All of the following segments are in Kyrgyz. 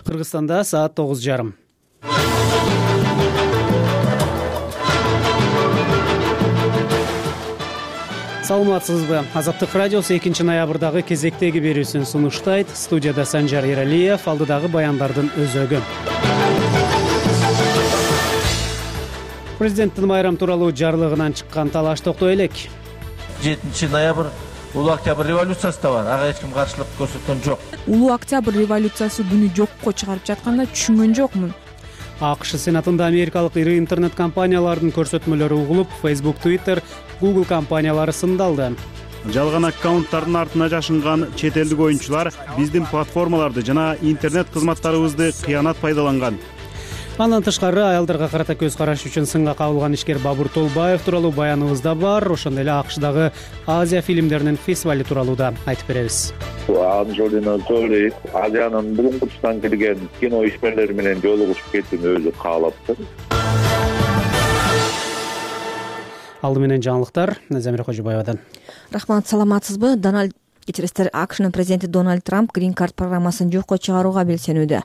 Кыргызстанда саат 9:30. Саламатсызбы? Азаттык радиосу 2 ноябрдагы кезектеги берүүсүн сунуштайт. Студияда Санжар Эралиев, алдыдагы баяндардын өзөгү. Президенттин майрам тууралуу жарлыгынан чыккан талаш токтой элек. 7 ноябрь Улуу Октябрь революциясы да бар. Ага эч ким каршылык көрсөткөн жок. Улуу Октябрь революциясы күнү жокко чыгарып жатканда түшүнгөн жокмун. АКШ Сенатында америкалык ири интернет компаниялардын көрсөтмөлөрү угулуп, Facebook, Twitter, Google компаниялары сындалды. Жалган аккаунттардын артына жашынган чет элдик оюнчулар биздин платформаларды жана интернет кызматтарыбызды кыянат пайдаланган. Андан тышкары аялдарга карата көз караш үчүн сынга кабылган ишкер Бабур Толбаев тууралуу баяныбызда бар. Ошондой эле АКШдагы Азия фильмдеринин фестивали тууралуу да айтып беребиз. Анджелина Джоли Азиянын бүгүнкү тұстан келген кино ишмерлери менен жолугушуп кетүүнү өзү каалаптыр. Алды менен жаңылыктар Замира Кожобаевадан. Рахмат, саламатсызбы? АКШнын президенти Дональд Трамп Green Card программасын жокко чыгарууга белсенүүдө.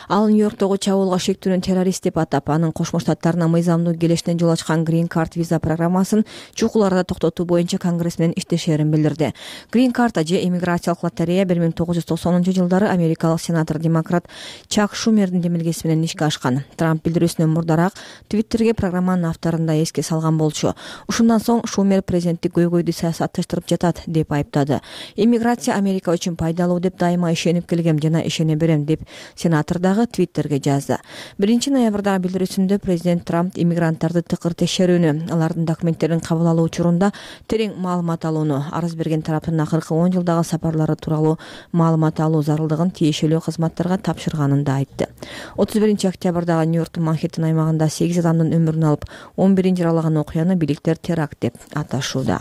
Ал Нью-Йорктогу чабуулга шектүүнүн террорист деп атап, анын Кошмо Штаттарына мыйзамдуу келишине жол ачкан Green Card виза программасын чукул арада токтотуу боюнча Конгресс менен иштешерин билдирди. Green Card же иммиграциялык лотерея 1990-жылдары америкалык сенатор демократ Чак Шумердин демилгеси менен ишке ашкан. Трамп билдирүүсүнөн мурдараак Твиттерге программанын авторун да эске салган болчу. Ушундан соң Шумер президенттик көйгөйдү саясатташтырып жатат деп айыптады. Иммиграция Америка үчүн пайдалуу деп дайыма ишенип келгем жана ишене берем деп сенатор дагы Твиттерге жазды. 1 ноябрдагы билдирүүсүндө президент Трамп иммигранттарды тыкыр текшерүүнү, алардын документтерин кабыл алуу учурунда терең маалымат алууну, арыз берген тараптын акыркы 10 жылдагы сапарлары тууралуу маалымат алуу зарылдыгын тиешелүү кызматтарга тапшырганын да айтты. 31 октябрдагы Нью-Йорктун Манхэттен аймагында 8 адамдын өмүрүн алып, 11 жаралаган окуяны бийликтер теракт деп аташууда.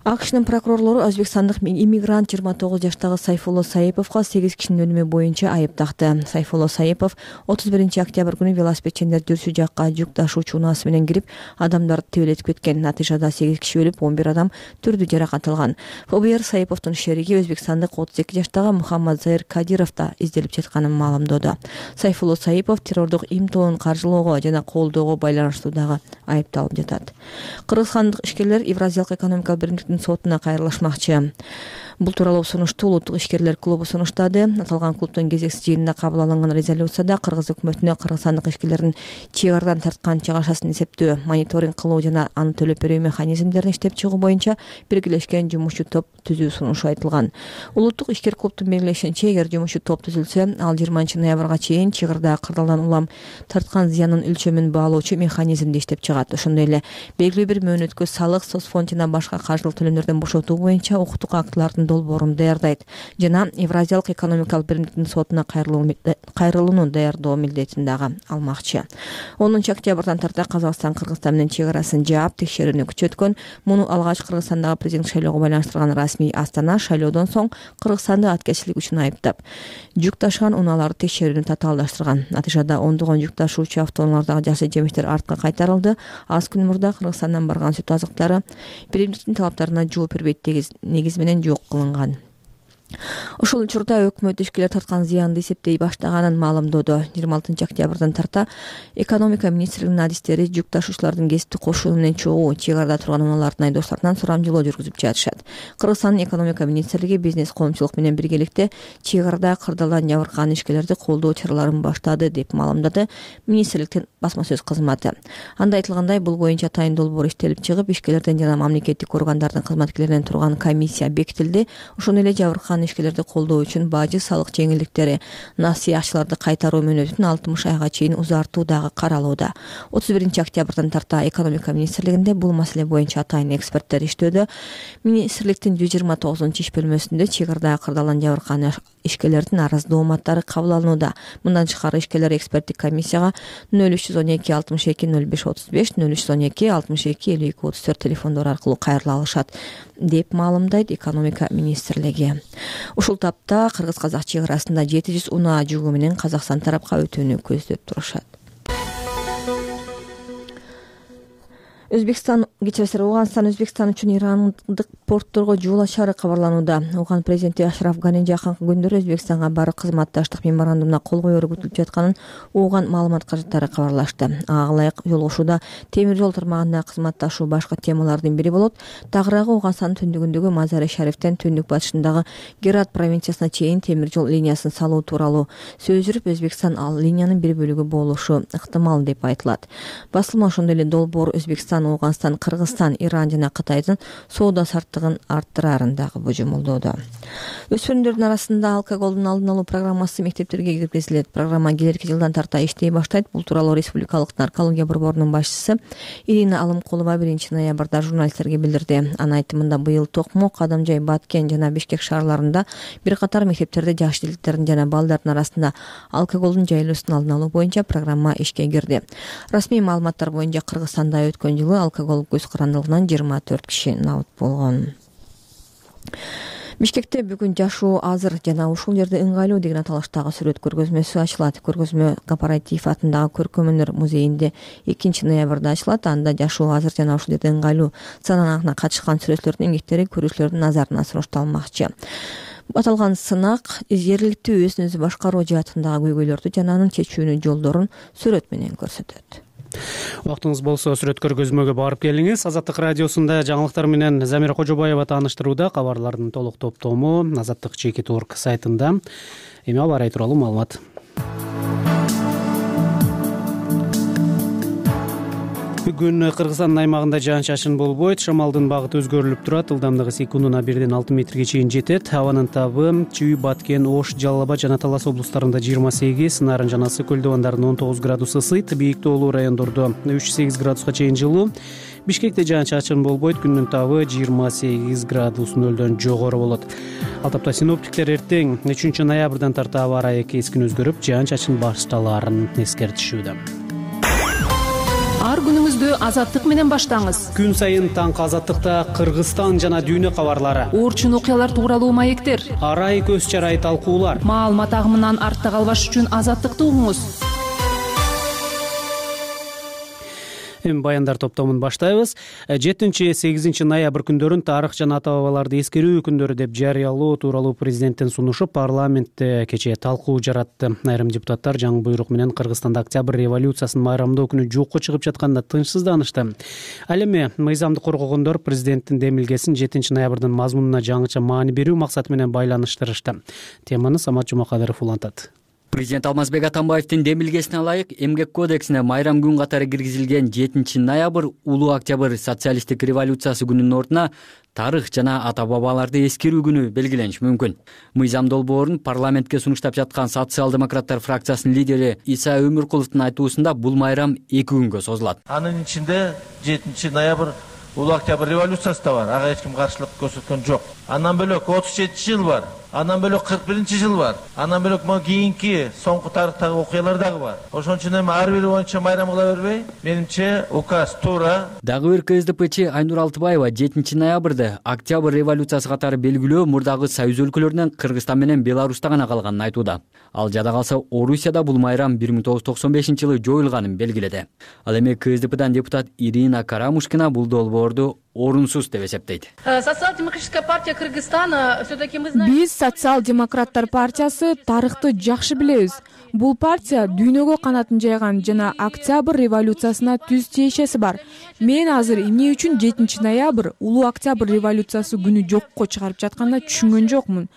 АКШнын прокурорлору өзбекстандык иммигрант 29 жаштагы Сайфулло Саиповго 8 кишинин өлүмү боюнча айып такты. Сайфулло Саипов 31 октябрь күнү велосипедчендер жүрүшү жакка жүк ташуучу унаасы менен кирип, адамдарды тебелетип кеткен. Натыйжада 8 киши өлүп, 11 адам түрдүү жаракат алган. ФБР Саиповдун шериги өзбекстандык 32 жаштагы Мухаммад Заир Кадиров да изделип жатканын маалымдоодо. Сайфулло Саипов террордук имтоонун каржылоого жана колдоого байланыштуу дагы айыпталып жатат. Кыргызстандык ишкерлер Евразиялык экономикалык биримдиктин сотуна кайрылышмакчы. Бул тууралуу сунушту Улуттук ишкерлер клубу сунуштады. Аталган клубдун кезексиз жыйынында кабыл алынган резолюцияда Кыргыз өкмөтүнө кыргызстандык ишкерлердин чек арадан тарткан чыгашасын эсептөө, мониторинг кылуу жана аны төлөп берүү механизмдерин иштеп чыгуу боюнча биргелешкен жумушчу топ түзүү сунушу айтылган. Улуттук ишкер клубдун белгилешинче, эгер жумушчу топ түзүлсө, ал 20 ноябрга чейин чек арада кырдаалдан улам тарткан зыяндын өлчөмүн баалоочу механизмди иштеп чыгат. Ошондой эле белгилүү бир мөөнөткө салык, соцфонд жана башка каржылык төлөмдөрдөн бошотуу боюнча укуктук актылардын долбоорун даярдайт жана Евразиялык экономикалык биримдиктин сотуна кайрылууну даярдоо милдетин дагы алмакчы. 10 октябрдан тарта Казакстан Кыргызстан менен чек арасын жаап, текшерүүнү күчөткөн. Муну алгач Кыргызстандагы президент шайлоого байланыштырган расмий Астана шайлоодон соң Кыргызстанды аткезчилик үчүн айыптап, жүк ташыган унааларды текшерүүнү татаалдаштырган. Натыйжада ондогон жүк ташуучу автоунаалардагы жакшы жемиштер артка кайтарылды. Аз күн мурда Кыргызстандан барган сүт азыктары биримдиктин талаптарына жооп бербейт деген негиз менен жок кылынган. Ушул учурда өкмөт ишкерлер тарткан зыянды эсептей баштаганын маалымдоодо. 26 октябрдан тарта экономика министрлигинин адистери жүк ташуучулардын кесиптик кошуну менен чогуу чек арада турган унаалардын айдоочуларынан сурамжылоо жүргүзүп жатышат. Кыргызстандын экономика министрлиги бизнес коомчулук менен биргеликте чек арада кырдаалдан жабыркаган ишкерлерди колдоо чараларын баштады деп маалымдады министрликтин басма сөз кызматы. Анда айтылгандай, бул боюнча атайын долбоор иштелип чыгып, ишкерлерден жана мамлекеттик органдардын кызматкерлеринен турган комиссия бекитилди. Ошондой эле жабыркаган ишкерлерди колдоо үчүн бажы, салык жеңилдиктери, насый акчаларды кайтаруу мөөнөтүн 60 айга чейин узартуу дагы каралууда. 31 октябрдан тарта экономика министрлигинде бул маселе боюнча атайын эксперттер иштөөдө. Министрликтин 129 иш бөлмөсүндө чек арада кырдаалдан жабыркаган ишкерлердин арыз дооматтары кабыл алынууда. Мындан тышкары ишкерлер эксперттик комиссияга 0312 62 05 35 0312 62 52 34 телефондору аркылуу кайрыла алышат деп маалымдайт экономика министрлиги. Ушул тапта кыргыз-казак чек арасында 700 унаа жүгү менен Казакстан тарапка өтүүнү көздөп турушат. Өзбекстан кечиресиз, Ооганстан Өзбекстан үчүн ирандык портторго жол ачары кабарланууда. Ооган президенти Ашраф Гани жакынкы күндөрү Өзбекстанга барык кызматташтык меморандумуна кол коеру күтүлүп жатканын Ооган маалымат каражаттары кабарлашты. Ага ылайык жолугушууда темир жол тармагында кызматташуу башкы темалардын бири болот. Тагыраагы Ооганстандын түндүгүндөгү Мазари Шарифтен түндүк батышындагы Герат провинциясына чейин темир жол линиясын салуу тууралуу сөз жүрүп, Өзбекстан ал линиянын бир бөлүгү болушу ыктымал деп айтылат. Басылма ошондой эле долбоор Өзбекстан, Ооганстан, Кыргызстан, Иран жана Кытайдын соода саттыгын арттырарын дагы божомолдоодо. Өспүрүмдөрдүн арасында алкоголдун алдын алуу программасы мектептерге киргизилет. Программа келерки жылдан тарта иштей баштайт. Бул тууралуу Республикалык наркология борборунун башчысы Ирина Алымкулова 1-ноябрда журналисттерге билдирди. Анын айтымында быйыл Токмок, Адамжай, Баткен жана Бишкек шаарларында бир катар мектептерде жаш деликтердин жана балдардын арасында алкоголдун жайылуусун алдын алуу боюнча программа ишке кирди. Расмий маалыматтар боюнча Кыргызстанда өткөн жылы алкоголь көз карандылыгынан 24 киши набыт болгон. Бишкекте бүгүн жашоо азыр жана ушул жерде ыңгайлуу деген аталыштагы сүрөт көргөзмөсү ачылат. Көргөзмө Кооператив атындагы Көркөмөнөр музейинде 2-ноябрда ачылат. Анда жашоо азыр жана ушул жерде ыңгайлуу санаанына катышкан сүрөттөрдүн эмгектери көрүүчүлөрдүн назарына сунушталмакчы. Аталган сынак жергиликтүү өзүн өзү башкаруу жаатындагы көйгөйлөрдү жана анын чечүүнүн жолдорун сүрөт менен көрсөтөт. Убактыңыз болсо сүрөт көргөзмөгө барып келиңиз. Азаттык радиосунда жаңылыктар менен Замира Кожобаева тааныштырууда. Кабарлардын толук топтому Азаттык.org сайтында. Эми аба ырайы тууралуу маалымат. Бүгүн Кыргызстандын аймагында жаан-чачын болбойт. Шамалдын багыты өзгөрүлүп турат. Ылдамдыгы секундуна 1-6 метрге чейин жетет. Абанын табы Чүй, Баткен, Ош, Жалал Абад жана Талас облустарында 28, Нарын жана Ысык көл дубандарында 19 градус ысыйт. Бийик тоолуу райондордо 3-8 градуска чейин жылуу. Бишкекте жаан-чачын болбойт. Күндүн табы 28 градус нөлдөн жогору болот. Ал тапта синоптиктер эртең 3-ноябрдан тарта аба ырайы кескин өзгөрүп, жаан-чачын башталаарын эскертишүүдө. Ар күнүңүздү азаттык менен баштаңыз. Күн сайын таңкы азаттыкта Кыргызстан жана дүйнө кабарлары, Оорчун окуялар тууралуу маектер, арай көз чарай талкуулар. Маалымат агымынан артта калбаш үчүн азаттыкты угуңуз. Эми баяндар топтомун баштайбыз. 7-8 ноябрь күндөрүн тарых жана ата бабаларды эскерүү күндөрү деп жарыялоо тууралуу президенттин сунушу парламентте кечээ талкуу жаратты. Айрым депутаттар жаңы буйрук менен Кыргызстанда Октябрь революциясын майрамдоо күнү жокко чыгып жатканда тынчсызданышты. Ал эми мыйзамды коргогондор президенттин демилгесин 7 ноябрдын мазмунуна жаңыча маани берүү максаты менен байланыштырышты. Теманы Самат Жумакадыров улантат. Президент Алмазбек Атамбаевдин демилгесине ылайык Эмгек кодексине майрам күн катары киргизилген 7 ноябрь Улуу Октябрь социалисттик революциясы күнүнүн ордуна тарых жана ата бабаларды эскерүү күнү белгилениши мүмкүн. Мыйзам долбоорун парламентке сунуштап жаткан социал-демократтар фракциясынын лидери Иса Өмүркуловдун айтуусунда бул майрам 2 күнгө созулат. Анын ичинде 7 ноябрь Улуу Октябрь революциясы да бар. Ага эч ким каршылык көрсөткөн жок. Андан бөлөк 37 жыл бар. Андан бөлөк 41 жыл бар. Андан бөлөк могу кийинки соңку тарыхтагы окуялар дагы бар. Ошон үчүн эми ар бири боюнча майрам кыла бербей, менимче указ туура. Дагы бир КСДПчи Айнур Алтыбаева 7 ноябрда Октябрь революциясы катары белгилөө мурдагы союз өлкөлөрүнөн Кыргызстан менен Беларусьта гана калганын айтууда. Ал жада калса Орусияда бул майрам 1995-жылы жоюлганын белгиледи. Ал эми КСДПдан депутат Ирина Карамушкина бул долбоорду орунсуз деп эсептейт. Социал-демократическая партия Кыргызстана все-таки мы знаем. Биз социал-демократтар партиясы тарыхты жакшы билебиз. Бул партия дүйнөгө канатын жайган жана Октябрь революциясына түз тиешеси бар. Мен азыр эмне үчүн 7 ноябрь Улуу Октябрь революциясы күнү жокко чыгарып жатканда түшүнгөн жокмун.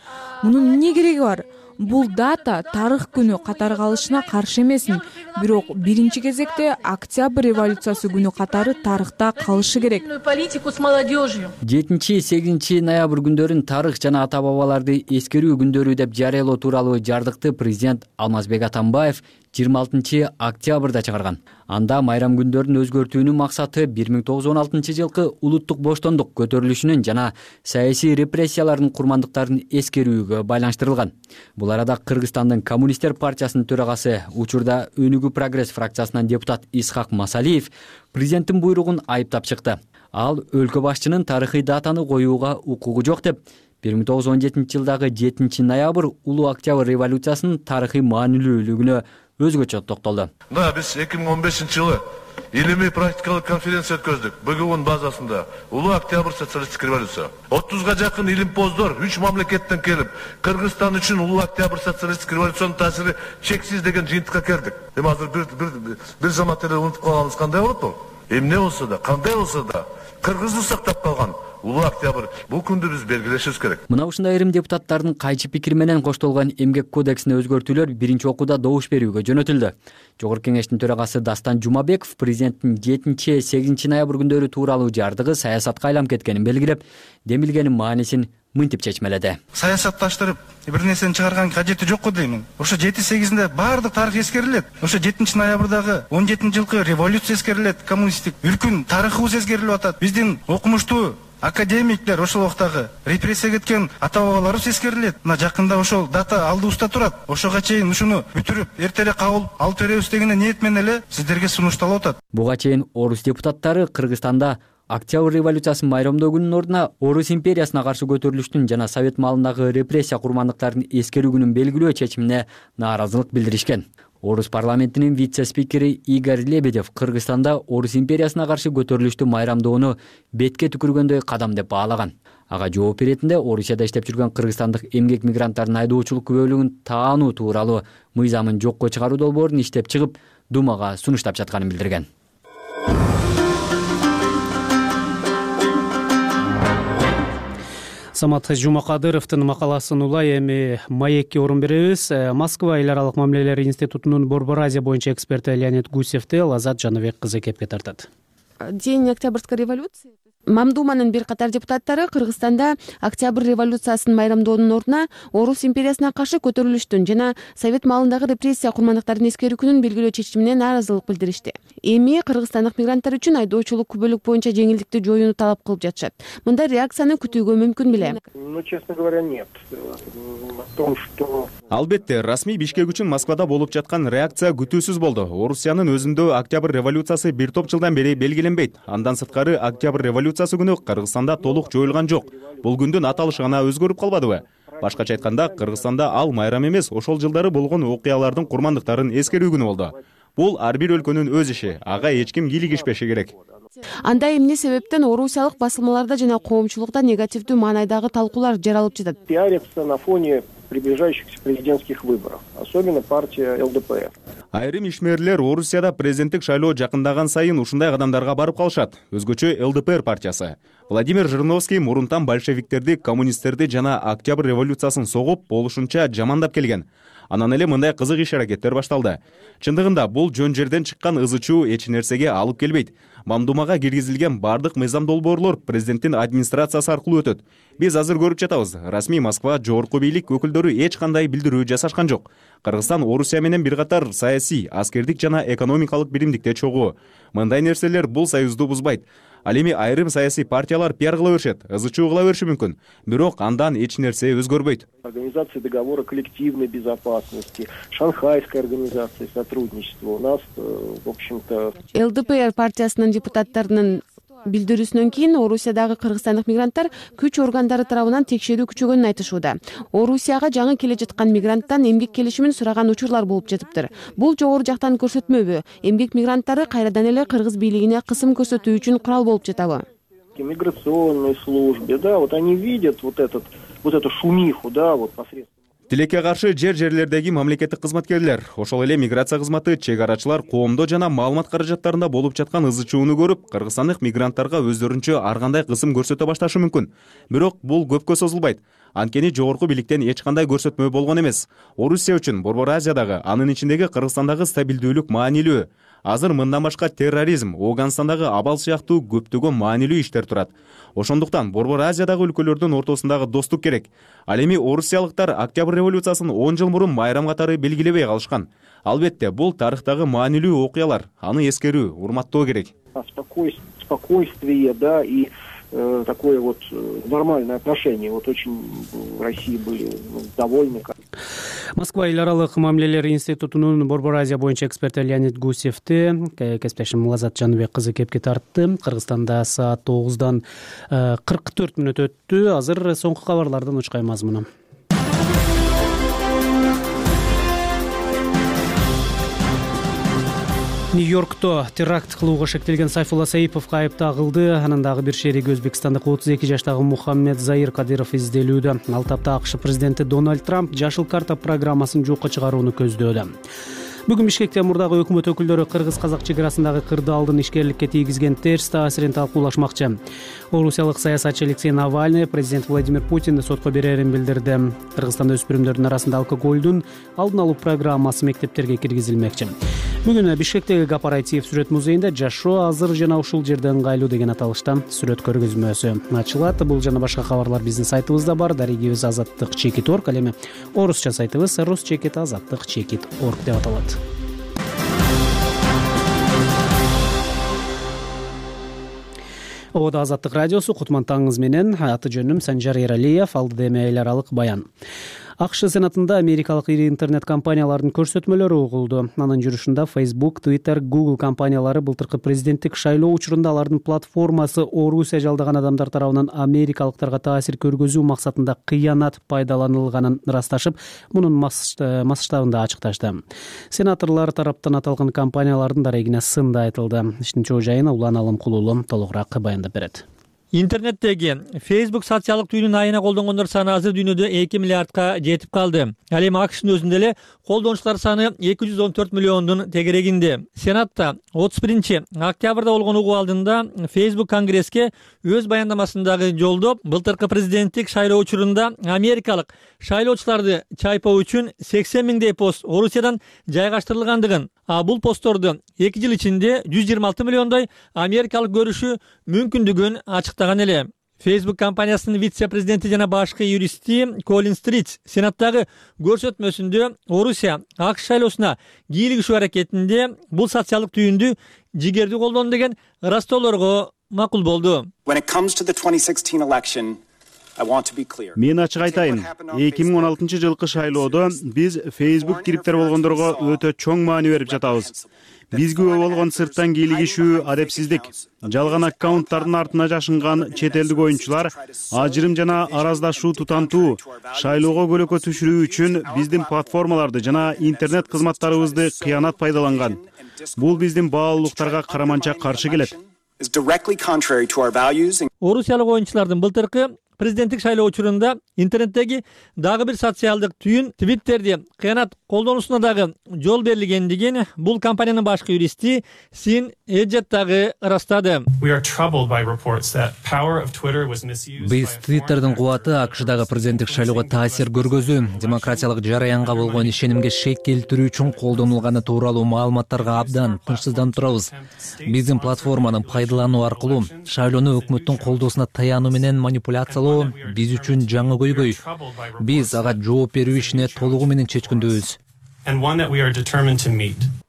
Мунун эмне кереги бар? Бул дата тарых күнү катары калышына каршы эмесмин, бирок биринчи кезекте Октябрь революциясы күнү катары тарыхта калышы керек. Политику с молодежью. 7-8 ноябрь күндөрүн тарых жана ата бабаларды эскерүү күндөрү деп жарыялоо тууралуу жардыкты президент Алмазбек Атамбаев 26 октябрда чыгарган. Анда майрам күндөрүн өзгөртүүнүн максаты 1916-жылкы улуттук боштондук көтөрүлүшүнүн жана саясий репрессиялардын курмандыктарын эскерүүгө байланыштырылган. Бул арада Кыргызстандын Коммунисттер партиясынын төрагасы, учурда Өнүгүү прогресс фракциясынан депутат Исхак Масалиев президенттин буйругун айыптап чыкты. Ал өлкө башчынын тарыхый датаны коюуга укугу жок деп 1917-жылдагы 7 ноябрь Улуу Октябрь революциясынын тарыхый маанилүүлүгүнө өзгөчө токтолду. Мына биз 2015-жылы илимий практикалык конференция өткөздүк. БГУнун базасында Улуу Октябрь социалисттик революция. 30га жакын илимпоздор 3 мамлекеттен келип, Кыргызстан үчүн Улуу Октябрь социалисттик революциянын таасири чексиз деген жыйынтыкка келдик. Эми азыр бир замат эле унутуп калганыбыз кандай болот бул? Эмне болсо да, кандай болсо да Кыргызды сактап калган Улуу Октябрь бул күндү биз белгилешибиз керек. Мына ушундай айрым депутаттардын кайчы пикири менен коштолгон эмгек кодексине өзгөртүүлөр биринчи окууда добуш берүүгө жөнөтүлдү. Жогорку кеңештин төрагасы Дастан Жумабеков президенттин 7-8 ноябрь күндөрү тууралуу жардыгы саясатка айланып кеткенин белгилеп, демилгенин маанисин мынтип чечмеледи. Саясатташтырып бир нерсени чыгарган кажети жокку деймин. Ошо 7-8-inde баардык тарых эскерилет. Ошо 7-ноябрдагы 17-жылкы революция эскерилет, коммунисттик үлкүн тарыхыбыз эскерилип атат. Биздин окумуштуу академиктер ошол убактагы репрессия кеткен ата бабаларыбыз эскерилет. Мына жакында ошол дата алдыбызда турат. Ошого чейин ушуну бүтүрүп, эртерээк кабыл алып беребиз деген ниет менен эле сиздерге сунушталып атат. Буга чейин орус депутаттары Кыргызстанда Октябрь революциясын майрамдоо күнүнүн ордуна Орус империясына каршы көтөрүлүштүн жана Совет маалындагы репрессия курмандыктарын эскерүү күнүн белгилөө чечимине нааразылык билдиришкен. Орус парламентинин вице-спикери Игорь Лебедев Кыргызстанда Орус империясына каршы көтөрүлүштү майрамдоону бетке түкүргөндөй кадам деп баалаган. Ага жооп беретинде Орусияда иштеп жүргөн кыргызстандык эмгек мигранттардын айдоочулук күбөлүгүн таануу тууралуу мыйзамын жокко чыгаруу долбоорун иштеп чыгып, Думага сунуштап жатканын билдирген. Самат Жумакадыровдун макаласын улай эми маекке орун беребиз. Москва эл аралык мамилелер институтунун Борбор Азия боюнча эксперти Леонид Гусевди Лазат Жаныбек кызы кепке тартат. День Октябрьской революции. Мамдуманын бир катар депутаттары Кыргызстанда Октябрь революциясын майрамдоонун ордуна Орус империясына каршы көтөрүлүштүн жана Совет маалындагы репрессия курмандыктарын эскерүү күнүн белгилөө чечимине нааразылык билдиришти. Эми кыргызстандык мигранттар үчүн айдоочулук күбөлүк боюнча жеңилдикти жоюуну талап кылып жатышат. Мындай реакцияны күтүүгө мүмкүн беле? Ну, честно говоря, нет. Албетте, расмий Бишкек үчүн Москвада болуп жаткан реакция күтүүсүз болду. Орусиянын өзүндө Октябрь революциясы бир топ жылдан бери белгиленбейт. Андан сырткары Октябрь революциясы күнү Кыргызстанда толук жоюлган жок. Бул күндүн аталышы гана өзгөрүп калбадыбы? Башкача айтканда, Кыргызстанда ал майрам эмес, ошол жылдары болгон окуялардын курмандыктарын эскерүү күнү болду. Бул ар бир өлкөнүн өз иши, ага эч ким кийлигишпеши керек. Анда эмне себептен орусиялык басылмаларда жана коомчулукта негативдүү маанайдагы талкуулар жаралып жатат? Пиарится на фоне приближающихся президентских выборов, особенно партия ЛДПР. Айрым ишмерлер Орусияда президенттик шайлоо жакындаган сайын ушундай кадамдарга барып калышат. Өзгөчө ЛДПР партиясы. Владимир Жириновский мурунтан большевиктерди, коммунисттерди жана Октябрь революциясын согуп, болушунча жамандап келген. Анан эле мындай кызык иш-аракеттер башталды. Чындыгында бул жөн жерден чыккан ызы-чуу эч нерсеге алып келбейт. Мамдумага киргизилген бардык мыйзам долбоорлор президенттин администрациясы аркылуу өтөт. Биз азыр көрүп жатабыз. Расмий Москва жогорку бийлик өкүлдөрү эч кандай билдирүү жасашкан жок. Кыргызстан Орусия менен бир катар саясий, аскердик жана экономикалык биримдикте чогуу. Мындай нерселер бул союзду бузбайт. Ал эми айрым саясий партиялар пиар кыла беришет, ызы-чуу кыла бериши мүмкүн. Бирок андан эч нерсе өзгөрбөйт. Организация договора коллективной безопасности, Шанхайская организация сотрудничества у нас, в общем-то... ЛДПР партиясынын депутаттарынын билдирүүсүнөн кийин Орусиядагы кыргызстандык мигранттар күч органдары тарабынан текшерүү күчөгөнүн айтышууда. Орусияга жаңы келе жаткан мигранттан эмгек келишимин сураган учурлар болуп жатыптыр. Бул жогору жактан көрсөтмөбү? Эмгек мигранттары кайрадан эле кыргыз бийлигине кысым көрсөтүү үчүн курал болуп жатабы? Миграционной службе, да, вот они видят вот эту шумиху, да, вот посредством. Тилекке каршы жерлердеги мамлекеттик кызматкерлер, ошол эле миграция кызматы, чек арачылар коомдо жана маалымат каражаттарында болуп жаткан ызы-чууну көрүп, кыргызстандык мигранттарга өздөрүнчө ар кандай кысым көрсөтө башташы мүмкүн. Бирок бул көпкө созулбайт. Анткени жогорку бийликтен эч кандай көрсөтмө болгон эмес. Орусия үчүн Борбор Азиядагы, анын ичиндеги Кыргызстандагы стабилдүүлүк маанилүү. Азыр мындан башка терроризм, Афганистандагы абал сыяктуу көптөгөн маанилүү иштер турат. Ошондуктан Борбор Азиядагы өлкөлөрдүн ортосундагы достук керек. Ал эми орусиялыктар Октябрь революциясын 10 жыл мурун майрам катары белгилебей калышкан. Албетте, бул тарыхтагы маанилүү окуялар. Аны эскерүү, урматтоо керек. Спокойствие, да, и такое вот нормальное отношение. Вот очень в России были довольны. Москва эл аралык мамилелер институтунун Борбор Азия боюнча эксперти Леонид Гусевди кесиптешим Лазат Жаныбек кызы кепке тартты. Кыргызстанда саат 9-дан 44 мүнөт өттү. Азыр соңку кабарлардын учкай мазмуну. Нью-Йоркто теракт кылууга шектелген Сайфулла Саиповго айып тагылды. Анын дагы бир шериги өзбекстандык 32 жаштагы Мухаммед Заир Кадыров изделүүдө. Ал тапта АКШ президенти Дональд Трамп жашыл карта программасын жокко чыгарууну көздөөдө. Бүгүн Бишкекте мурдагы өкмөт өкүлдөрү кыргыз-казак чек арасындагы кырдаалдын ишкерликке тийгизген терс таасирин талкуулашмакчы. Орусиялык саясатчы Алексей Навальный президент Владимир Путинди сотко берерин билдирди. Кыргызстанда өспүрүмдөрдүн арасында алкоголдун алдын алуу программасы мектептерге киргизилмекчи. Бүгүн Бишкектеги Кооператив сүрөт музейинде жашоо азыр жана ушул жерде ыңгайлуу деген аталышта сүрөт көргөзмөсү ачылат. Бул жана башка кабарлар биздин сайтыбызда бар. Дарегибиз azattik.org, ал эми орусча сайтыбыз rus-azattik.org деп аталат. Ободо Азаттык радиосу, Кутман таңыңыз менен. Аты жөнүм Санжар Эралиев. Алдыда эми эл аралык баян. АКШ Сенатында америкалык ири интернет компаниялардын көрсөтмөлөрү угулду. Анын жүрүшүндө Facebook, Twitter, Google компаниялары былтыркы президенттик шайлоо учурунда алардын платформасы Орусия жалдаган адамдар тарабынан америкалыктарга таасир көргөзүү максатында кыянат пайдаланылганын ырасташып, мунун масштабын да ачыкташты. Сенаторлор тараптан аталган компаниялардын дарегине сын да айтылды. Иштин чоо жайын Улан Алымкулуулу толугураак баяндап берет. Интернеттеги Facebook социалдык түйүнүн айына колдонгондор саны азыр дүйнөдө 2 миллиардка жетип калды. Ал эми АКШнын өзүндө эле колдонуучулар саны 214 миллиондун тегерегинде. Сенатта 31 октябрда болгон угуу алдында Facebook Конгресске өз баяндамасындагы жолдоп, былтыркы президенттик шайлоо учурунда америкалык шайлоочуларды чайпоо үчүн 80 миңдей пост Орусиядан жайгаштырылгандыгын, бул постторду 2 жыл ичинде 126 миллиондой америкалык көрүшү мүмкүндүгүн ачыктаган эле. Facebook компаниясынын вице-президенти жана башкы юристи Колин Стритс Сенаттагы көрсөтмөсүндө Орусия АКШ шайлоосуна кийлигишүү аракетинде бул социалдык түйүндү жигердүү колдону деген ырастоолорго макул болду. Мен ачык айтайын, 2016 жылкы шайлоодо биз Facebook кириптер болгондорго өтө чоң маани берип жатабыз. Бизге болгон сырттан кийлигишүү, адепсиздик, жалган аккаунттардын артына жашынган чет элдик оюнчулар, ажырым жана араздашуу тутантуу, шайлоого көлөкө түшүрүү үчүн биздин платформаларды жана интернет кызматтарыбызды кыянат пайдаланган. Бул биздин баалуулуктарга караманча каршы келет. Орусиялык оюнчулардын былтыркы президенттик шайлоо учурунда интернеттеги дагы бир социалдык түйүн Twitterди кыянат колдонуусуна дагы жол берилгендигин бул компаниянын башкы юристи Син Эджет дагы ырастады. Биз Twitterдин кубаты АКШдагы президенттик шайлоого таасир көргөзүү, демократиялык жараянга болгон ишенимге шек келтирүү үчүн колдонулганы тууралуу маалыматтарга абдан тынчсызданып турабыз. Биздин платформаны пайдалануу аркылуу шайлоону өкмөттүн колдоосуна таянуу менен манипуляциялоо биз үчүн жаңы көйгөй. Биз ага жооп берүү ишине толугу менен чечкиндүүбүз.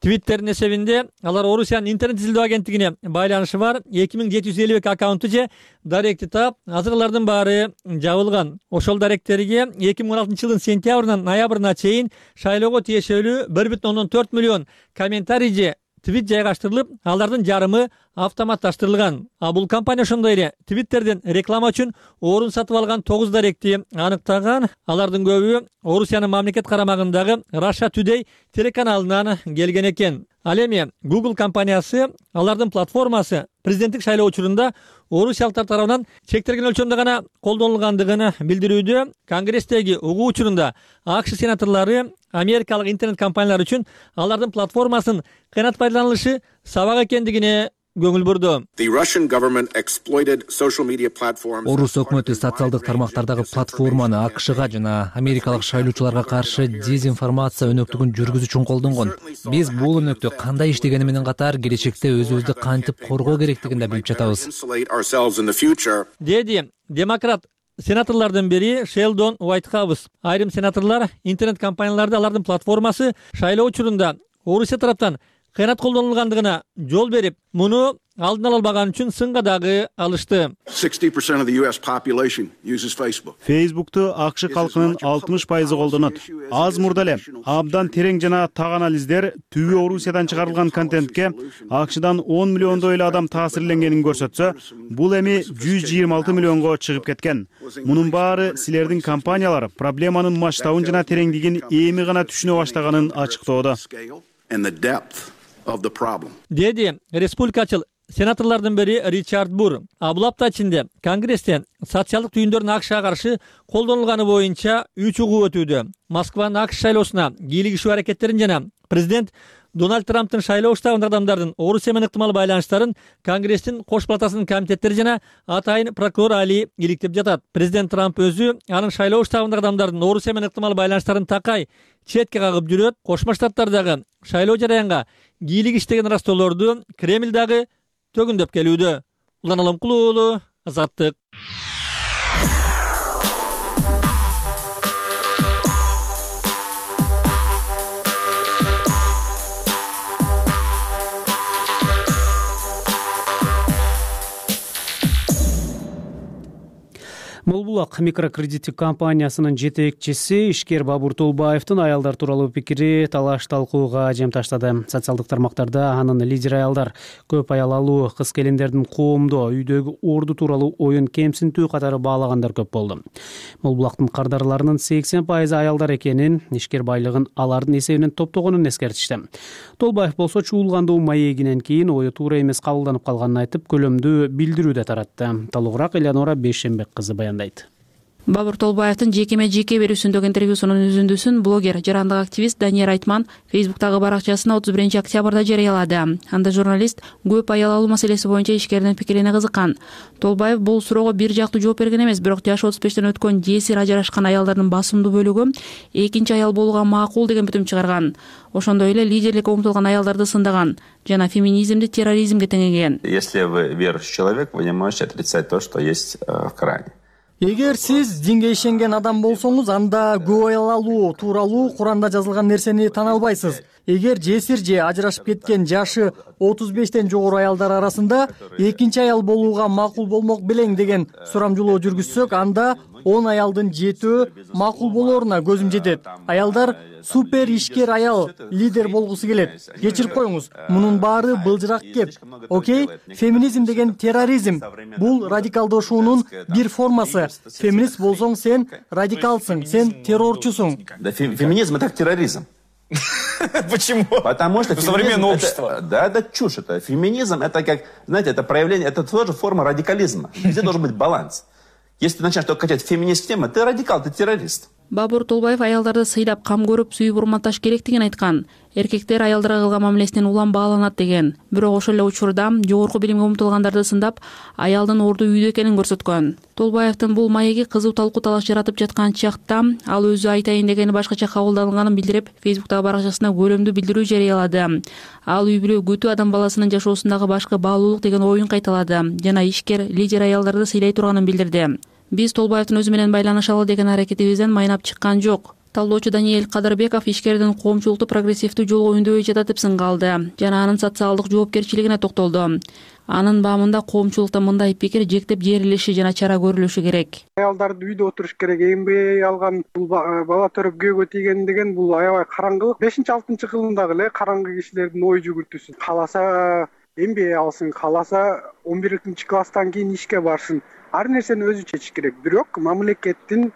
Twitter'in эсебинде алар Орусиянын интернет изилдөө агенттигине байланышы бар 2752 аккаунту же даректи таап, азыр алардын баары жабылган. Ошол даректерге 2016 жылдын сентябрынан ноябрына чейин шайлоого тиешелүү 1,4 миллион комментарий же твит жайгаштырылып, алардын жарымы автоматташтырылган. Бул компания ошондой эле Twitter'ден реклама үчүн орун сатып алган 9 даректи аныктаган. Алардын көбү Орусиянын мамлекет карамагындагы Russia Today телеканалынан келген экен. Ал эми Google компаниясы алардын платформасы президенттик шайлоо учурунда орусиялыктар тарабынан чектелген өлчөмдө гана колдонулгандыгын билдирүүдө. Конгресстеги угуу учурунда АКШ сенаторлору америкалык интернет компаниялар үчүн алардын платформасын кыянат пайдаланылышы сабак экендигине көңүл бурду. Орус өкмөтү социалдык тармактардагы платформаны АКШга жана америкалык шайлоочуларга каршы дезинформация өнөктүгүн жүргүзүү үчүн колдонгон. Биз бул өнөктү кандай иштегени менен катар келечекте өзүбүздү кантип коргоо керектигин да билип жатабыз. Деди демократ сенаторлордун бири Шелдон Уайтхаус. Айрым сенаторлор интернет компанияларды алардын платформасы шайлоо учурунда Орусия тараптан кыянат колдонулгандыгына жол берип, муну алдын ала албаган үчүн сынга дагы алышты. Facebook'tu АКШ калкынын 60% колдонот. Аз мурда эле абдан терең жана так анализдер түбү Орусиядан чыгарылган контентке АКШдан 10 миллиондой эле адам таасирленгенин көрсөтсө, бул эми 126 миллионго чыгып кеткен. Мунун баары силердин компаниялар проблеманын масштабын жана тереңдигин эми гана түшүнө баштаганын ачыктоодо. деди республикачыл сенаторлордун бири Ричард Бур. Бул апта ичинде Конгрессте социалдык түйүндөрдүн АКШга каршы колдонулганы боюнча 3 угуу өтүүдө. Москванын АКШ шайлоосуна кийлигишүү аракеттерин жана президент Дональд Трамптын шайлоо штабындагы адамдардын Орусия менен ыктымал байланыштарын Конгресстин кош палатасынын комитеттери жана атайын прокурор Али иликтеп жатат. Президент Трамп өзү анын шайлоо штабындагы адамдардын Орусия менен ыктымал байланыштарын такай четке кагып жүрөт. Кошмо Штаттардагы шайлоо жараянга кийлигиш деген ырастоолорду Кремль дагы төгүндөп келүүдө. Улан Алымкулуу уулу, Азаттык. Молбулак микрокредиттик компаниясынын жетекчиси ишкер Бабур Толбаевдин аялдар тууралуу пикири талаш талкууга жем таштады. Социалдык тармактарда анын лидер аялдар, көп аял алуу, кыз келиндердин коомдо үйдөгү орду тууралуу оюн кемсинтүү катары баалагандар көп болду. Молбулактын кардарларынын 80% аялдар экенин, ишкер байлыгын алардын эсебинен топтогонун эскертишти. Толбаев болсо чуулгандуу маегинен кийин ою туура эмес кабылданып калганын айтып, көлөмдүү билдирүү да таратты. Толугураак Элеонора Бейшенбек кызы баяндайт. Бабур Толбаевдин жеке берүүсүндөгү интервьюсунун үзүндүсүн блогер, жарандык активист Данияр Айтман Фейсбуктагы баракчасына 31-октябрда жарыялады. Анда журналист көп аял алуу маселеси боюнча ишкердин пикирине кызыккан. Толбаев бул суроого бир жактуу жооп берген эмес, бирок жашы 35тен өткөн жесир ажырашкан аялдардын басымдуу бөлүгү экинчи аял болууга макул деген бүтүм чыгарган. Ошондой эле лидерликке умтулган аялдарды сындаган жана феминизмди терроризмге теңеген. Если вы верующий человек, вы не можете отрицать то, что есть в Коране. Эгер сиз динге ишенген адам болсоңуз, анда көп аял алуу тууралуу Куранда жазылган нерсени тана албайсыз. Эгер жесир же ажырашып кеткен жашы 35тен жогору аялдар арасында экинчи аял болууга макул болмок белең деген сурамжылоо жүргүзсөк, анда 10 аялдын 7 макул болооруна көзүм жетет. Аялдар супер ишкер аял лидер болгусу келет. Кечирип коюңуз, мунун баары былжырак кеп. Окей, феминизм деген терроризм. Бул радикалдашуунун бир формасы. Феминист болсоң сен радикалсың, сен террорчусуң. Да, феминизм это терроризм. Почему? Потому что современное общество. Да, это чушь. Это феминизм, это как, знаете, это проявление, это тоже форма радикализма. Везде должен быть баланс. Если ты начинаешь только качать феминист тему, ты радикал, ты террорист. Бабур Толбаев аялдарды сыйлап, кам көрүп, сүйүп урматташ керектигин айткан. Эркектер аялдарга кылган мамилесинен улам бааланат деген. Бирок ошол эле учурда жогорку билимге умтулгандарды сындап, аялдын орду үйдө экенин көрсөткөн. Толбаевдин бул маеги кызуу талкуу талаш жаратып жаткан чакта ал өзү айтайын дегени башкача кабылданганын билдирип, Фейсбуктагы баракчасына көлөмдүү билдирүү жарыялады. Ал үй бүлө күтүү адам баласынын жашоосундагы башкы баалуулук деген оюн кайталады жана ишкер лидер аялдарды сыйлай турганын билдирди. Биз Толбаевдин өзү менен байланышалы деген аракетибизден майнап чыккан жок. Талдоочу Даниэль Кадырбеков ишкердин коомчулукту прогрессивдүү жолго үндөй жатат деп сынгалды жана анын социалдык жоопкерчилигине токтолду. Анын баамында коомчулукта мындай пикир жектеп жерилиши жана чара көрүлүшү керек. Аялдарды үйдө отуруш керек, эмбей алган бала төрөп көөгө тийген деген бул аябай караңгылык. 5-6 кылымдагы эле караңгы кишилердин ой жүгүртүүсү. Кааласа эмбей алсын, кааласа 11-класстан кийин ишке барсын. Ар нерсени өзү чечиш керек. Бирок мамлекеттин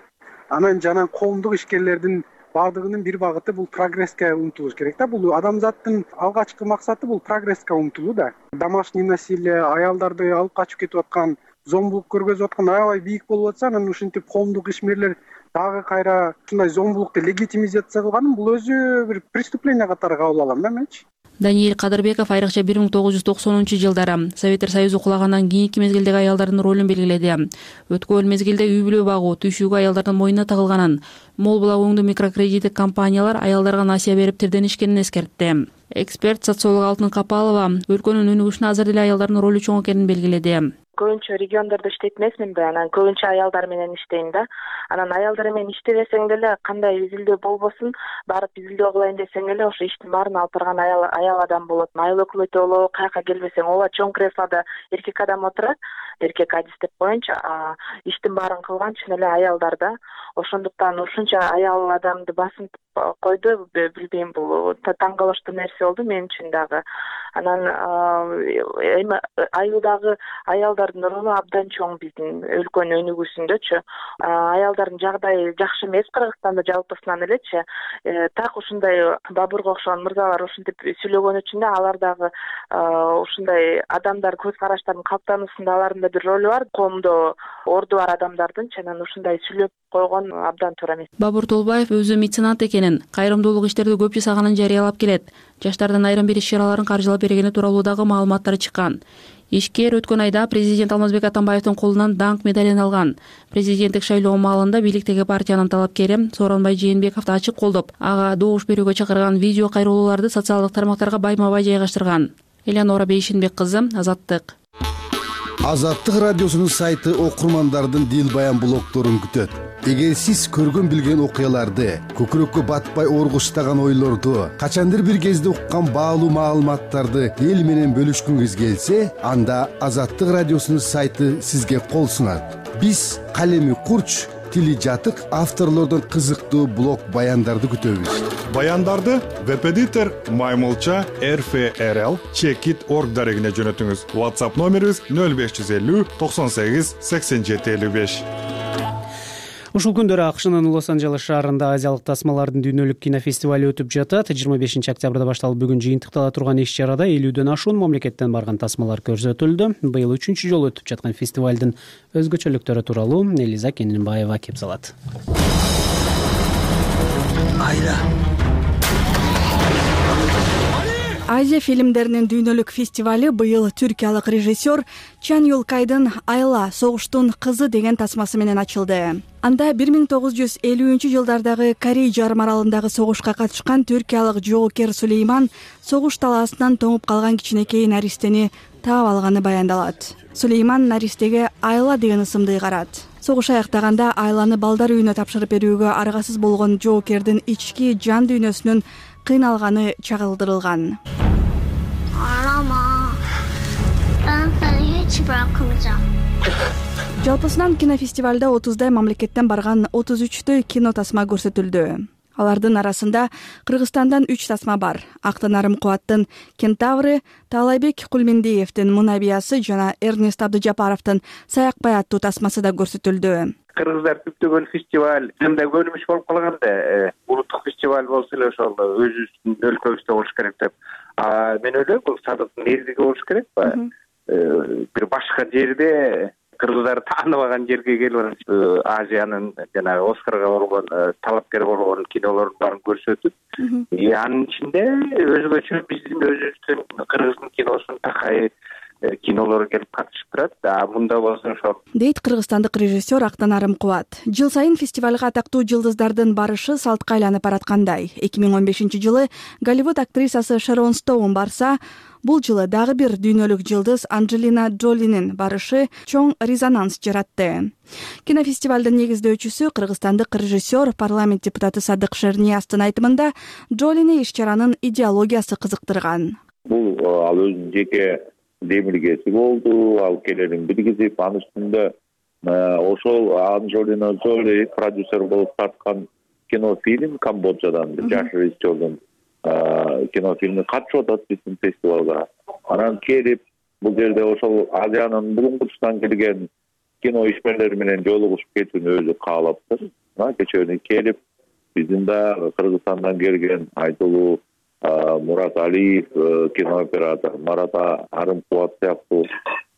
анан жана коомдук ишкерлердин баардыгынын бир багыты бул прогресске умтулуш керек да. Бул адамзаттын алгачкы максаты бул прогресске умтулуу да. Домашний насилие, аялдарды алып качып кетип аткан, зомбулук көргөзүп аткан аябай бийик болуп атса, анан ушинтип коомдук ишмерлер дагы кайра ушундай зомбулукту легитимизация кылганын бул өзү бир преступление катары кабыл алам да менчи. Даниэль Кадырбеков айрыкча 1990-жылдары Советтер Союзу кулагандан кийинки мезгилдеги аялдардын ролун белгиледи. Өткөн мезгилде үй бүлө багуу, түйшүүгө аялдардын мойнуна тагылганын, мол була өңдүү микрокредиттик компаниялар аялдарга насыя берип тирденишкенин эскертти. Эксперт социолог Алтын Капалова өлкөнүн өнүгүшүнө азыр деле аялдардын ролу чоң экенин белгиледи. Көбүнчө региондордо иштейт эмесмин да, анан көбүнчө аялдар менен иштейм да. Анан аялдар менен иштебесең деле кандай изилдөө болбосун, барып изилдөө кылайын десең эле ошо иштин баарын алып барган аял адам болот. Айыл өкмөтү болобу, каяка келбесең, ооба чоң креслода эркек адам отурат, эркек адистеп коеюнчу, иштин баарын кылган чын эле аялдар да. Ошондуктан ушунча аял адамды басынтып койду, билбейм, бул таң калыштуу нерсе болду мен үчүн дагы. Анан айылдагы аялдар аялдардын ролу абдан чоң биздин өлкөнүн өнүгүүсүндөчү. Аялдардын жагдайы жакшы эмес Кыргызстанда жалпысынан элечи. Так ушундай Бабурга окшогон мырзалар ушинтип сүйлөгөн үчүн да алар дагы ушундай адамдар көз караштарынын калыптануусунда алардын да бир ролу бар. Коомдо орду бар адамдардын анан ушундай сүйлөп койгон абдан туура эмес. Бабур Толбаев өзү меценат экенин, кайрымдуулук иштерди көп жасаганын жарыялап келет. Жаштардын айрым бир иш-чараларын каржылап бергени тууралуу дагы маалыматтар чыккан. Ишкер өткөн айда президент Алмазбек Атамбаевдин колунан даңк медалин алган. Президенттик шайлоо маалында бийликтеги партиянын талапкери Сооронбай Жээнбековду ачык колдоп, ага добуш берүүгө чакырган видео кайрылууларды социалдык тармактарга байма-бай жайгаштырган. Элеонора Бейшенбек кызы, Азаттык. Азаттык радиосунун сайты окурмандардын дил баян блогдорун күтөт. Эгер сиз көргөн билген окуяларды, көкүрөккө батпай оргуштаган ойлорду, качандыр бир кезде уккан баалуу маалыматтарды эл менен бөлүшкүңүз келсе, анда Азаттык радиосунун сайты сизге кол сунат. Биз калеми курч, тили жатык авторлордон кызыктуу блог баяндарды күтөбүз. Баяндарды веб-эдитор Маймылча RFRL Checkit.org дарегине жөнөтүңүз. WhatsApp номерибиз 0550 98 87 55. Ушул күндөрү АКШнын Лос-Анджелес шаарында азиялык тасмалардын дүйнөлүк кинофестивали өтүп жатат. 25 октябрда башталып бүгүн жыйынтыктала турган иш-чарада 50дөн ашуун мамлекеттен барган тасмалар көрсөтүлдү. Быйыл 3-чү жолу өтүп жаткан фестивалдын өзгөчөлүктөрү тууралуу Элиза Кенинбаева кеп салат. Азия фильмдеринин дүйнөлүк фестивали быйыл түркиялык режиссер Чан Юлкайдын «Айла, согуштун кызы» деген тасмасы менен ачылды. Анда 1950-жылдардагы Корей жарым аралындагы согушка катышкан түркиялык жоокер Сулейман согуш талаасынан тоңуп калган кичинекей наристени таап алганы баяндалат. Сулейман наристеге Айла деген ысымды ыйгарат. Согуш аяктаганда Айланы балдар үйүнө тапшырып берүүгө аргасыз болгон жоокердин ички жан дүйнөсүнүн кыйналганы чагылдырылган. Жалпысынан кинофестивалда 30дай мамлекеттен барган 33 кино тасма көрсөтүлдү. Алардын арасында Кыргызстандан 3 тасма бар. Актанарым Кубаттын «Кентавры», Таалайбек Кулмендиевдин «Мунабиясы» жана Эрнест Абдыжапаровдун «Саякбай» аттуу тасмасы да көрсөтүлдү. Кыргыздар күптөгөн фестиваль жында көрүнүш болуп калган да, улуттук фестиваль болсо эле ошол өзүбүздүн өлкөбүздө болуш керек деп. Мен ойлойм, бул садыктын эрдиги болуш керек ба? Бир башка жерде кыргыздар тааныбаган жерге келип Азиянын жанагы Оскарга болгон талапкер болгон кинолордун баарын көрсөтүп, анын ичинде өзгөчө биздин өзүбүздүн кыргыздын киносунун такай кинолору келип катышып турат. Мында болсо ошол дейт кыргызстандык режиссер Актанарым Кубат. Жыл сайын фестивалга атактуу жылдыздардын барышы салтка айланып бараткандай. 2015-жылы Голливуд актрисасы Шерон Стоун барса, бул жылы дагы бир дүйнөлүк жылдыз Анджелина Джолинин барышы чоң резонанс жаратты. Кинофестивалдын негиздөөчүсү кыргызстандык режиссер, парламент депутаты Садык Шернияздын айтымында Джолини иш-чаранын идеологиясы кызыктырган. Бул ал өзүнүн жеке демилгеси болду, ал келерин биргизип, анын үстүндө ошол Анджелина Джоли продюсер болуп тарткан кинофильм Камбоджадан жаш режиссердун кинофильми катышып атат биздин фестивалга. Анан келип, бул жерде ошол Азиянын булуңгусунан келген кино ишмерлери менен жолугушуп кетүүнү өзү каалаптыр. Кечээ келип, биздин да Кыргызстандан келген айтылуу Мурат Алиев кинооператор, Марат Арымкубат сыяктуу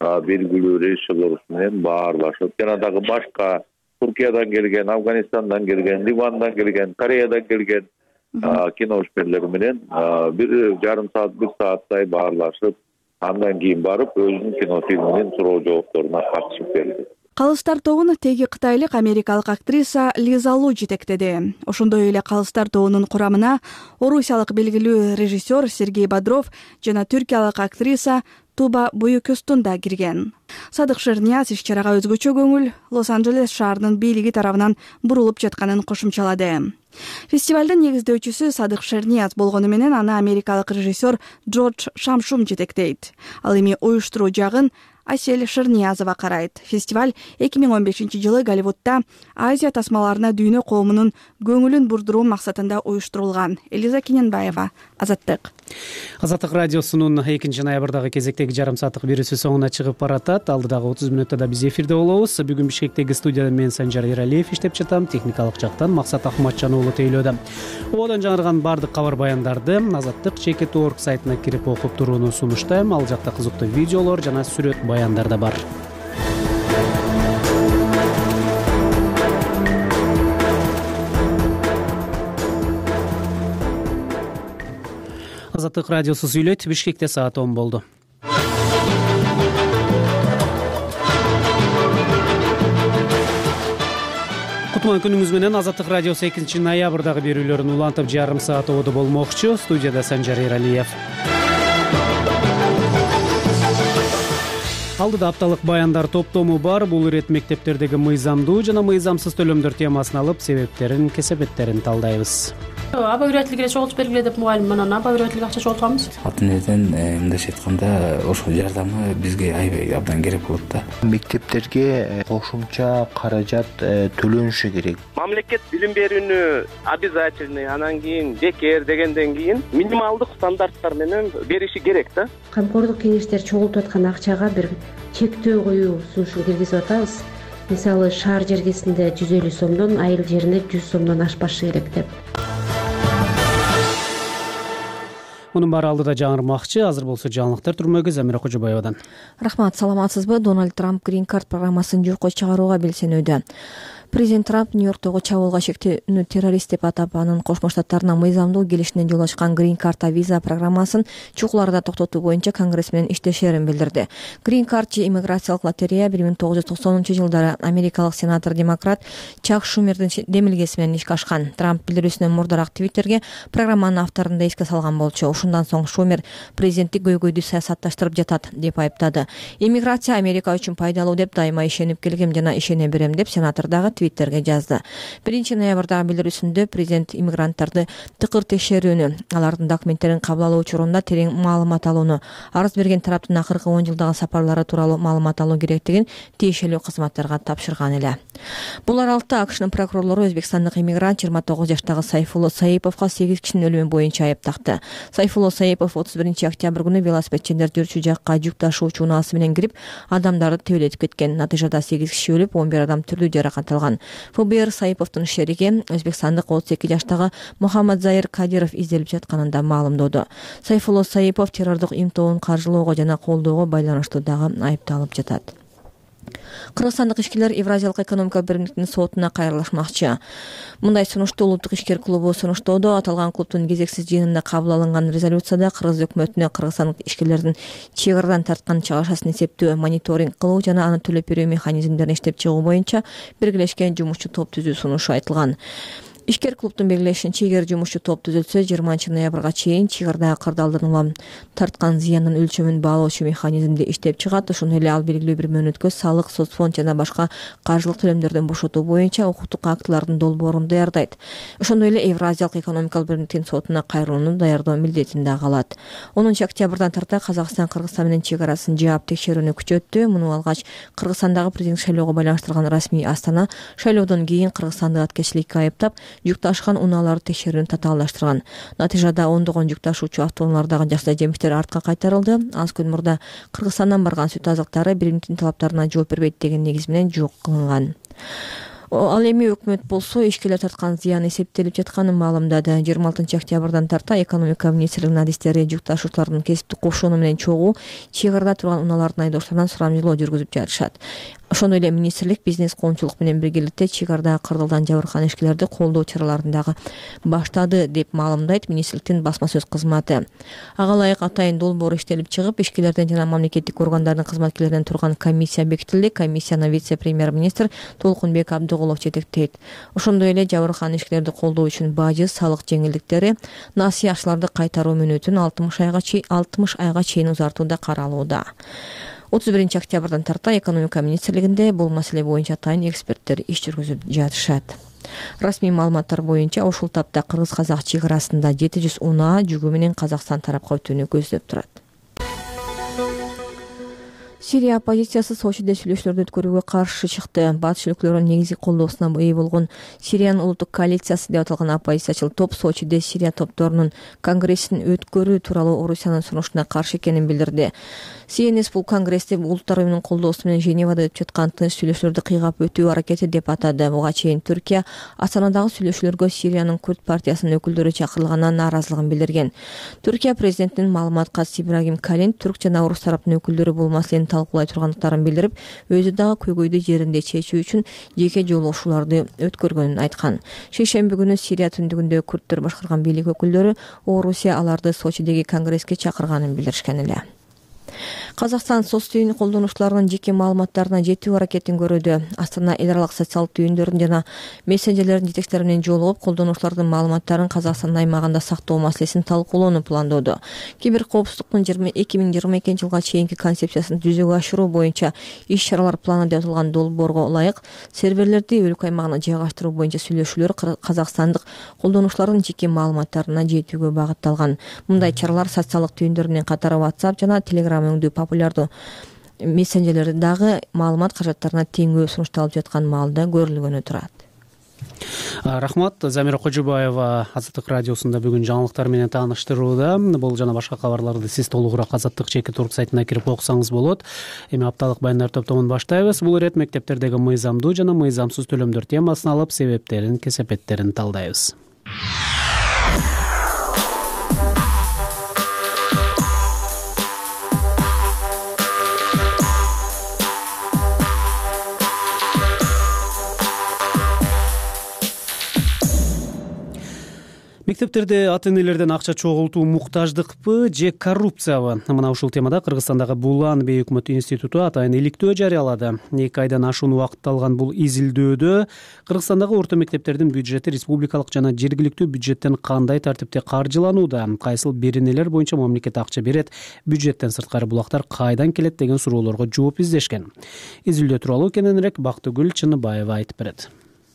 белгилүү режиссерлор менен баарлашып, жана дагы башка Туркиядан келген, Афганистандан келген, Ливандан келген, Кореядан келген кино ишмерлери менен 1,5 саат, 1 сааттай баарлашып, андан кийин барып өзүнүн кинофильминин суроо жоопторуна катышып берди. Калыстар тобун теги кытайлык америкалык актриса Лиза Лу жетектеди. Ошондой эле Калыстар тобунун курамына орусиялык белгилүү режиссер Сергей Бодров жана түркиялык актриса Туба Буюкөстун да кирген. Садык Шернияз иш-чарага өзгөчө көңүл Лос-Анджелес шаарынын бийлиги тарабынан бурулуп жатканын кошумчалады. Фестивалдын негиздөөчүсү Садык Шернияз болгону менен аны америкалык режиссер Джордж Шамшум жетектейт. Ал эми уюштуруу жагын Асель Шырниязова карайт. Фестиваль 2015-жылы Голливудда Азия тасмаларына дүйнө коомунун көңүлүн бурдуруу максатында уюштурулган. Элиза Кененбаева, Азаттык. Азаттык радиосунун 2 ноябрдагы кезектеги жарым сааттык берүүсү соңуна чыгып баратат. Алдыдагы 30 мүнөттө да биз эфирде болобуз. Бүгүн Бишкектеги студияда мен Санжар Эралиев иштеп жатам. Техникалык жактан Максат Ахматжан уулу тейлөөдө. Ободон жаңырган бардык кабар баяндарды Азаттык Чекит.org сайтына кирип окуп турууну сунуштайм. Ал жакта кызыктуу видеолор жана сүрөт баяндар да бар. Азаттык радиосу сүйлөйт. Бишкекте саат 10 болду. Кутман күнүңүз менен. Азаттык радиосу 2 ноябрдагы берүүлөрүн улантып жарым саат ободо болмокчу. Студияда Санжар Эралиев. Алдыда апталык баяндар топтому бар. Бул ирет мектептердеги мыйзамдуу жана мыйзамсыз төлөмдөр темасын алып, себептерин, кесепеттерин талдайбыз. Аба үйрөтүлгүлө чогултуп бергиле деп мугалим менен аба үйрөтүлгү акча чогултабыз. Ата энеден мындайча айтканда ошол жардамы бизге аябай абдан керек болот да. Мектептерге кошумча каражат төлөнүшү керек. Мамлекет билим берүүнү обязательный, анан кийин бекер дегенден кийин минималдык стандарттар менен бериши керек да. Камкордук кеңештер чогултуп аткан акчага бир чектөө коюу сунушун киргизип атабыз. Мисалы, шаар жергесинде 150 сомдон, айыл жерине 100 сомдон ашпашы керек деп. Мунун баары алдыда жаңырмакчы. Азыр болсо жаңылыктар түрмөгү Замира Кожобаевадан. Рахмат, саламатсызбы? Дональд Трамп Green Card программасын жокко чыгарууга белсенүүдө. Президент Трамп Нью-Йорктогу чабуулга шектүүнү террорист деп атап, анын Кошмо Штаттарына мыйзамдуу келишине жол ачкан Green Card виза программасын чукул арада токтотуу боюнча Конгресс менен иштешерин билдирди. Green Card же иммиграциялык лотерея 1990-жылдары америкалык сенатор демократ Чак Шумердин демилгеси менен ишке ашкан. Трамп билдирүүсүнөн мурдараак Твиттерге программанын авторун да эске салган болчу. Ушундан соң Шумер президенттик көйгөйдү саясатташтырып жатат деп айыптады. Иммиграция Америка үчүн пайдалуу деп дайыма ишенип келгем жана ишене берем деп сенатор дагы Твиттерге жазды. 1 ноябрдагы билдирүүсүндө президент иммигранттарды тыкыр текшерүүнү, алардын документтерин кабыл алуу учурунда терең маалымат алууну, арыз берген тараптын акыркы 10 жылдагы сапарлары тууралуу маалымат алуу керектигин тиешелүү кызматтарга тапшырган эле. Бул аралыкта АКШнын прокурорлору өзбекстандык иммигрант 29 жаштагы Сайфулло Саиповго 8 кишинин өлүмү боюнча айып такты. Сайфулло Саипов 31 октябрь күнү велосипедчилер жүрчү жакка жүк ташуучу унаасы менен кирип, адамдарды төбөлөтүп кеткен. Натыйжада 8 киши өлүп, 11 адам түрдүү жаракат алган. ФБР Саиповдун шериги өзбекстандык 32 жаштагы Мухаммад Заир Кадиров изделип жатканын да маалымдоду. Сайфулло Саипов террордук имтоонун каржылоого жана колдоого байланыштуу дагы айыпталып жатат. Кыргызстандык ишкерлер Евразиялык экономикалык биримдиктин сотуна кайрылышмакчы. Мындай сунушту улуттук ишкер клубу сунуштоодо. Аталган клубдун кезексиз жыйынында кабыл алынган резолюцияда Кыргыз өкмөтүнө кыргызстандык ишкерлердин чек арадан тарткан чыгашасын эсептөө, мониторинг кылуу жана аны төлөп берүү механизмдерин иштеп чыгуу боюнча биргелешкен жумушчу топ түзүү сунушу айтылган. Ишкер клубдун белгилешинче, эгер жумушчу топ түзүлсө, 20 ноябрга чейин чек арада кырдаалдан улам тарткан зыяндын өлчөмүн баалоочу механизмди иштеп чыгат. Ошондой эле ал белгилүү бир мөөнөткө салык, соцфонд жана башка каржылык төлөмдөрдөн бошотуу боюнча укуктук актылардын долбоорун даярдайт. Ошондой эле Евразиялык экономикалык биримдиктин сотуна кайрылууну даярдоо милдетин да алат. 10 октябрдан тарта Казакстан Кыргызстан менен чек арасын жаап текшерүүнү күчөттү. Муну алгач Кыргызстандагы президент шайлоого байланыштырган расмий Астана шайлоодон кийин Кыргызстанды аткечиликке айыптап, жүк ташкан унааларды текшерүүнү татаалдаштырган. Натыйжада ондогон жүк ташуучу автоунаалардагы жакшы жемиштер артка кайтарылды. Аз күн мурда Кыргызстандан барган сүт азыктары биримдиктин талаптарына жооп бербейт деген негиз менен жок кылынган. Ал эми өкмөт болсо ишкерлер тарткан зыян эсептелип жатканын маалымдады. 26 октябрдан тарта экономика министрлигинин адистери жүк ташуучулардын кесиптик кошууну менен чогуу чек арада турган унаалардын айдоочуларынан сурамжылоо жүргүзүп жатышат. Ошондой эле министрлик бизнес коомчулук менен биргеликте чек арадагы кырдаалдан жабыркаган ишкерлерди колдоо чараларын дагы баштады деп маалымдайт министрликтин басма сөз кызматы. Ага ылайык атайын долбоор иштелип чыгып, ишкерлерден жана мамлекеттик органдардын кызматкерлеринен турган комиссия бекитилди. Комиссияны вице-премьер-министр Толкунбек Абдыгулов жетектейт. Ошондой эле жабыркаган ишкерлерди колдоо үчүн бажы, салык жеңилдиктери, насый акчаларды кайтаруу мөөнөтүн 60 айга чейин узартуу да каралууда. 31 октябрдан тарта экономика министрлигинде бул маселе боюнча атайын эксперттер иш жүргүзүп жатышат. Расмий маалыматтар боюнча ушул тапта кыргыз-казак чек арасында 700 унаа жүгү менен Казакстан тарапка өтүүнү көздөп турат. Сирия оппозициясы Сочиде сүйлөшүүлөрдү өткөрүүгө каршы чыкты. Батыш өлкөлөрүнүн негизги колдоосуна ээ болгон Сириянын улуттук коалициясы деп аталган оппозициячыл топ Сочиде Сирия топторунун конгрессин өткөрүү тууралуу Орусиянын сунушуна каршы экенин билдирди. СНС бул конгрессти улуттар уюмунун колдоосу менен Женевада өтүп жаткан тынч сүйлөшүүлөрдү кыйгап өтүү аракети деп атады. Буга чейин Түркия Астанадагы сүйлөшүүлөргө Сириянын Күрд партиясынын өкүлдөрү чакырылганына нааразылыгын билдирген. Түркия президентинин маалыматкачысы Ибрагим Калин түрк жана орус тараптын өкүлдөрү бул маселени талкуулай тургандыктарын билдирип, өзү дагы көйгөйдү жеринде чечүү үчүн жеке жолугушууларды өткөргөнүн айткан. Шейшемби күнү Сирия түндүгүндө күрдтөр башкарган бийлик өкүлдөрү Орусия аларды Сочидеги конгресске чакырганын билдиришкен эле. Казакстан соц түйүн колдонуучуларынын жеке маалыматтарына жетүү аракетин көрүүдө. Астана эл аралык социалдык түйүндөрдүн жана мессенджерлердин жетекчилери менен жолугуп, колдонуучулардын маалыматтарын Казакстандын аймагында сактоо маселесин талкуулоону пландоодо. Киберкоопсуздуктун 2022 жылга чейинки концепциясын жүзөгө ашыруу боюнча иш-чаралар планы деп аталган долбоорго ылайык серверлерди өлкө аймагына жайгаштыруу боюнча сүйлөшүүлөр казакстандык колдонуучулардын жеке маалыматтарына жетүүгө багытталган. Мындай чаралар социалдык түйүндөр менен катары WhatsApp жана Telegram өңдүү популярдуу мессенджерлерди дагы маалымат каражаттарына теңөө сунушталып жаткан маалда көрүлгөнү турат. Рахмат. Замира Кожубаева Азаттык радиосунда бүгүн жаңылыктар менен тааныштырууда. Бул жана башка кабарларды сиз толугураак Азаттык /org сайтына кирип окусаңыз болот. Эми апталык баяндар топтомун баштайбыз. Бул ирет мектептердеги мыйзамдуу жана мыйзамсыз төлөмдөр темасын алып, себептерин, кесепеттерин талдайбыз. Мектептерде ата-энелерден акча чогултуу муктаждыкпы же коррупциябы? Мына ушул темада Кыргызстандагы Булан бейөкмөт институту атайын иликтөө жарыялады. 2 айдан ашуун убакыт алган бул изилдөөдө Кыргызстандагы орто мектептердин бюджети республикалык жана жергиликтүү бюджеттен кандай тартипте каржыланууда, кайсыл беренелер боюнча мамлекет акча берет, бюджеттен сырткары булактар кайдан келет деген суроолорго жооп издешкен. Изилдөө тууралуу кененирээк Бактыгүл Чыныбаева айтып берет.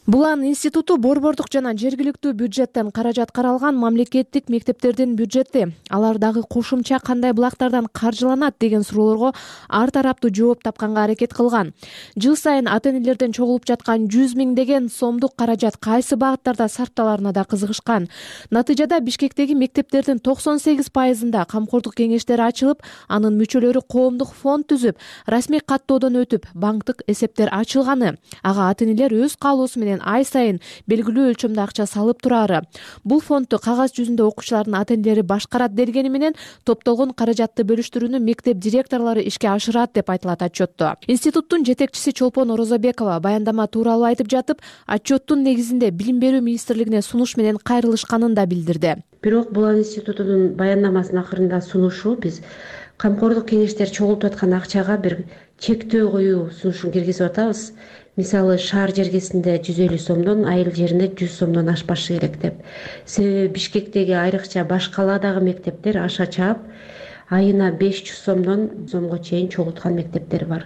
Булан институту борбордук жана жергиликтүү бюджеттен каражат каралган мамлекеттик мектептердин бюджети, алар дагы кошумча кандай булактардан каржыланат деген суроолорго ар тараптуу жооп тапканга аракет кылган. Жыл сайын ата-энелерден чогулуп жаткан 100 миңдеген сомдук каражат кайсы багыттарда сарпталарына да кызыгышкан. Натыйжада Бишкектеги мектептердин 98%-ында камкордук кеңештери ачылып, анын мүчөлөрү коомдук фонд түзүп, расмий каттоодон өтүп, банктык эсептер ачылганы. Ага ата-энелер өз каалоосу менен ай сайын белгилүү өлчөмдө акча салып турары. Бул фондду кагаз жүзүндө окуучулардын ата-энелери башкарат дергени менен топтолгон каражатты бөлүштүрүүнү мектеп директорлору ишке ашырат деп айтылат отчетто. Институттун жетекчиси Чолпон Орозобекова баяндама тууралуу айтып жатып, отчеттун негизинде Билим берүү министрлигине сунуш менен кайрылышканын да билдирди. Бирок Булан институтунун баяндамасынын акырында сунушу биз камкордук кеңештер чогултуп аткан акчага бир чектөө коюу сунушун киргизип атабыз. Мисалы, шаар жергесинде 150 сомдон, айыл жеринде 100 сомдон ашпашы керек деп. Себеби Бишкектеги айрыкча баш калаадагы мектептер аша чаап, айына 500 сомго чейин чогулткан мектептер бар.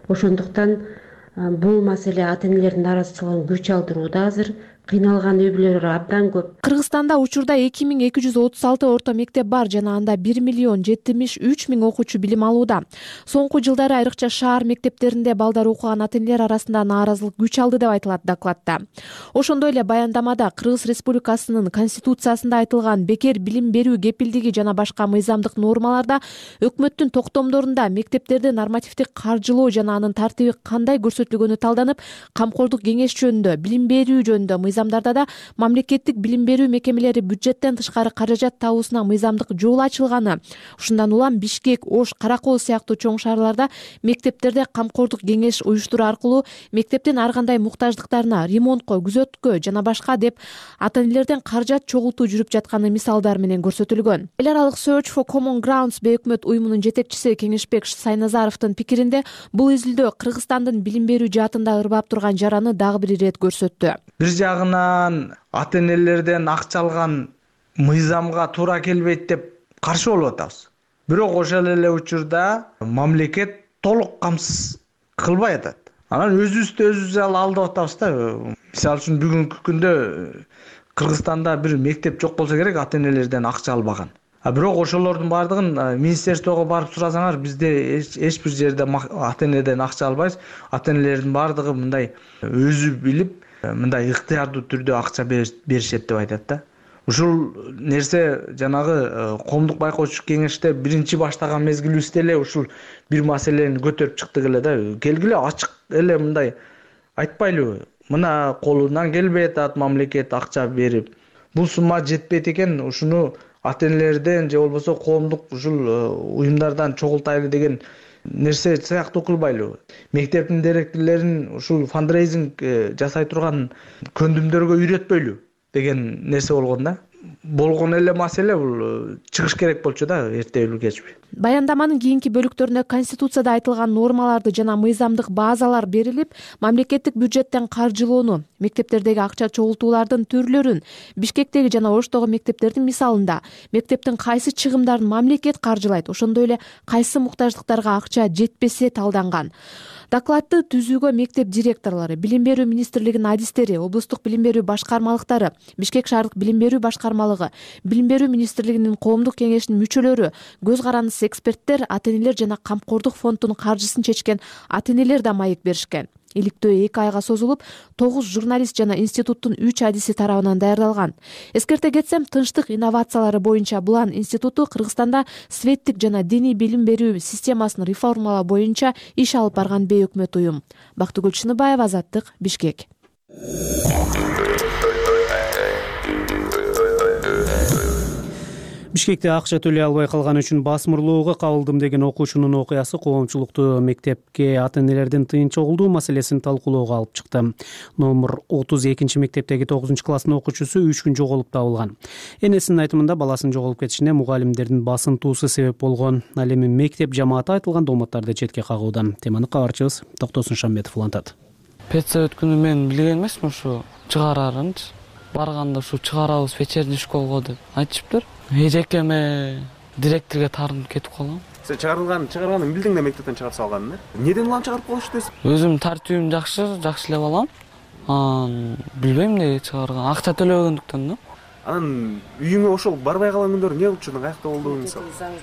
Ошондуктан бул маселе ата-энелердин нааразычылыгын күч алдырууда азыр. Кыйналган үй бүлөлөр абдан көп. Кыргызстанда учурда 2236 орто мектеп бар жана анда 1,73,000 окуучу билим алууда. Соңку жылдары айрыкча шаар мектептеринде балдар окуган ата-энелер арасында нааразылык күч алды деп айтылат докладта. Ошондой эле баяндамада Кыргыз Республикасынын Конституциясында айтылган бекер билим берүү кепилдиги жана башка мыйзамдык нормаларда өкмөттүн токтомдорунда мектептерди нормативдик каржылоо жана анын тартиби кандай көрсөтүлгөнү талданып, камкордук кеңеш жөнүндө, билим берүү жөнүндө мыйзамдарда да мамлекеттик билим берүү мекемелери бюджеттен тышкары каражат табуусуна мыйзамдык жол ачылганы. Ушундан улам Бишкек, Ош, Каракол сыяктуу чоң шаарларда мектептерде камкордук кеңеш уюштуруу аркылуу мектептин ар кандай муктаждыктарына, ремонтко, күзөткө жана башка деп ата-энелерден каражат чогултуу жүрүп жатканы мисалдар менен көрсөтүлгөн. Эл аралык Search for Common Grounds бейөкмөт уюмунун жетекчиси Кеңешбек Сайназаровдун пикиринде, бул изилдөө Кыргызстандын билим берүү жаатында ырбап турган жараны дагы бир ирет көрсөттү. Бир жагынан ата-энелерден акча алган мыйзамга туура келбейт деп каршы болуп атабыз. Бирок ошол эле учурда мамлекет толук камсыз кылбай атат. Анан өзүбүздү өзүбүз алдап атабыз да. Мисалы үчүн бүгүнкү күндө Кыргызстанда бир мектеп жок болсо керек ата-энелерден акча албаган. бирок ошолордун баардыгын министерствого барып сурасаңар бизде эч бир жерде ата энеден акча албайбыз. Ата энелердин баардыгы мындай өзү билип мындай ыктыярдуу түрдө акча беришет деп айтат да. Ушул нерсе жанагы коомдук байкоочу кеңеште биринчи баштаган мезгилибизде эле ушул бир маселени көтөрүп чыктык эле да. Келгиле ачык эле мындай айтпайлыбы? Мына колунан келбей атат мамлекет акча берип. Бул сумма жетпейт экен, ушуну ата энелерден же болбосо коомдук ушул уюмдардан чогултайлы деген нерсе сыяктуу кылбайлыбы? Мектептин директорлорун ушул фандрейзинг жасай турган көндүмдөргө үйрөтпөйлү деген нерсе болгон да. Болгон эле маселе бул чыгыш керек болчу да эртеби кечпи. Баяндаманын кийинки бөлүктөрүнө Конституцияда айтылган нормаларды жана мыйзамдык базалар берилип, мамлекеттик бюджеттен каржылоону, мектептердеги акча чогултуулардын түрлөрүн, Бишкектеги жана Оштогу мектептердин мисалында мектептин кайсы чыгымдарын мамлекет каржылайт, ошондой эле кайсы муктаждыктарга акча жетпесе талданган. Докладты түзүүгө мектеп директорлору, Билим берүү министрлигинин адистери, облустук билим берүү башкармалыктары, Бишкек шаардык билим берүү башкармалыгы, Билим берүү министрлигинин коомдук кеңешинин мүчөлөрү, көз карандысыз эксперттер, ата энелер жана камкордук фондунун каржысын чечкен ата энелер да маек беришкен. Иликтөө 2 айга созулуп, 9 журналист жана институттун 3 адиси тарабынан даярдалган. Эскерте кетсем, тынчтык инновациялары боюнча Булан институту Кыргызстанда светтик жана диний билим берүү системасын реформалоо боюнча иш алып барган бейөкмөт уюм. Бактыгүл Чыныбаева, Азаттык, Бишкек. Бишкекте акча төлөй албай калганы үчүн басмырлоого кабылдым деген окуучунун окуясы коомчулукту мектепке ата энелердин тыйын чогулдуу маселесин талкуулоого алып чыкты. Номер 32 мектептеги 9 класстын окуучусу 3 күн жоголуп табылган. Энесинин айтымында баласынын жоголуп кетишине мугалимдердин басынтуусу себеп болгон. Ал эми мектеп жамааты айтылган дооматтарды четке кагууда. Теманы кабарчыбыз Токтосун Шамбетов улантат. Педсовет күнү мен билген эмесмин ушу чыгарарынчы. Барганда ушу чыгарабыз вечерний школго деп айтышыптыр. Эжекеме директорго таарынып кетип калгам. Сен чыгарганын билдиң да мектептен чыгарып салганын, Неден улам чыгарып коюш дейсиң? Өзүм тартибим жакшы эле балам. Билбейм эмне чыгарган. Акча төлөбөгөндүктөн да. Анан үйүңө ошол барбай калган күндөр эмне болуп жүрдүң? Каякта болдуң мисалы?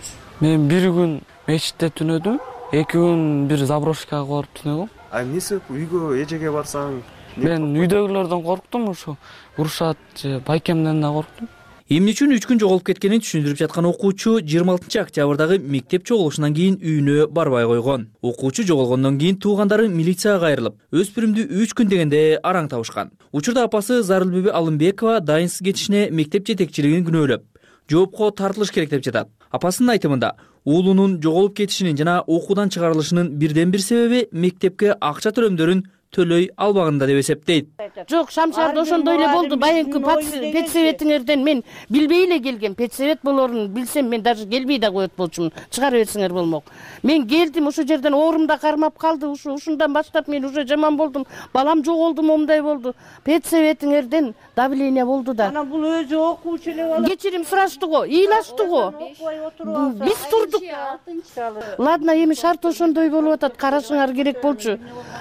Мен 1 күн мечитте түнөдүм, 2 күн бир заброшкага барып түнөгөм. Эмне себеп үйгө эжеге барсаң? Мен үйдөгүлөрдөн корктум, ушу урушат же байкемден да корктум. Эмне үчүн 3 күн жоголуп кеткенин түшүндүрүп жаткан окуучу 26 октябрдагы мектеп чогулушунан кийин үйүнө барбай койгон. Окуучу жоголгондон кийин туугандары милицияга кайрылып, өспүрүмдү 3 күн дегенде араң табышкан. Учурда апасы Зарылбеби Алымбекова дайынсыз кетишине мектеп жетекчилигин күнөөлөп, жоопко тартылыш керек деп жатат. Апасынын айтымында, уулунун жоголуп кетишинин жана окуудан чыгарылышынын бирден бир себеби мектепке акча төлөмдөрүн төлөй албагында деп эсептейт. Жок, Шамшарда ошондой эле болду. Байынкы педсоветиңерден мен билбей эле келгем. Педсовет болорун билсем мен даже келбей да коет болчумун. Чыгарып берсеңер болмок. Мен келдим, ошол жерден оорумда кармап калды. Ушундан баштап мен уже жаман болдум. Балам жоголду, момундай болду. Педсоветиңерден давление болду да. Анан бул өзү окуучу эле болуп. Кечирим сураштык го, ыйлаштык го. Биз турдук. Ладно, эми шарт ошондой болуп атат. Карашыңар керек болчу.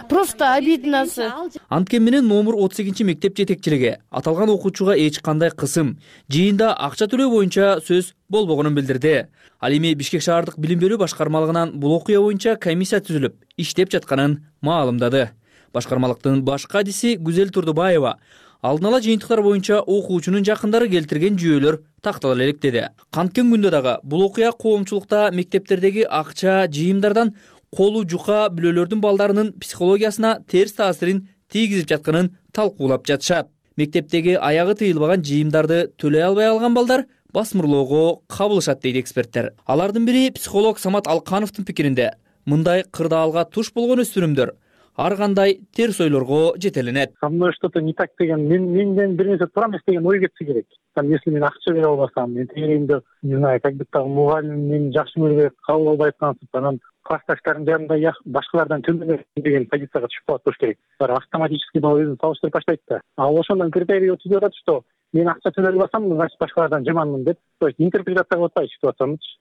Просто Анткени менен номер 38 мектеп жетекчилиги аталган окуучуга эч кандай кысым, жыйында акча төлөө боюнча сөз болбогонун билдирди. Ал эми Бишкек шаардык билим берүү башкармалыгынан бул окуя боюнча комиссия түзүлүп, иштеп жатканын маалымдады. Башкармалыктын башкы адиси Гүзел Турдубаева алдын ала жыйынтыктар боюнча окуучунун жакындары келтирген жүйөлөр тактала элек деди. Канткен күндө дагы бул окуя коомчулукта мектептердеги акча жыйымдардан колу жука бүлөлөрдүн балдарынын психологиясына терс таасирин тийгизип жатканын талкуулап жатышат. Мектептеги аягы тыйылбаган жыйымдарды төлөй албай алган балдар басмырлоого кабылышат дейт эксперттер. Алардын бири психолог Самат Алкановдун пикиринде, мындай кырдаалга туш болгон өспүрүмдөр ар кандай терс ойлорго жетеленет. Со мной что-то не так деген, менден бир нерсе туура эмес деген ой кетсе керек. Если мен акча бере албасам, мен тегерегимде, не знаю, как будто мугалим мени жакшы көрбөй кабыл албай аткансып, анан классташтарым жанында башкалардан төмөн деген позицияга түшүп калат болуш керек. Автоматически өзүн салыштырып баштайт да. Ал ошондон критерий түзүп атат, что мен акча төлөй албасам, значит башкалардан жаманмын деп, то есть интерпретация кылып атпайбы ситуациянычы.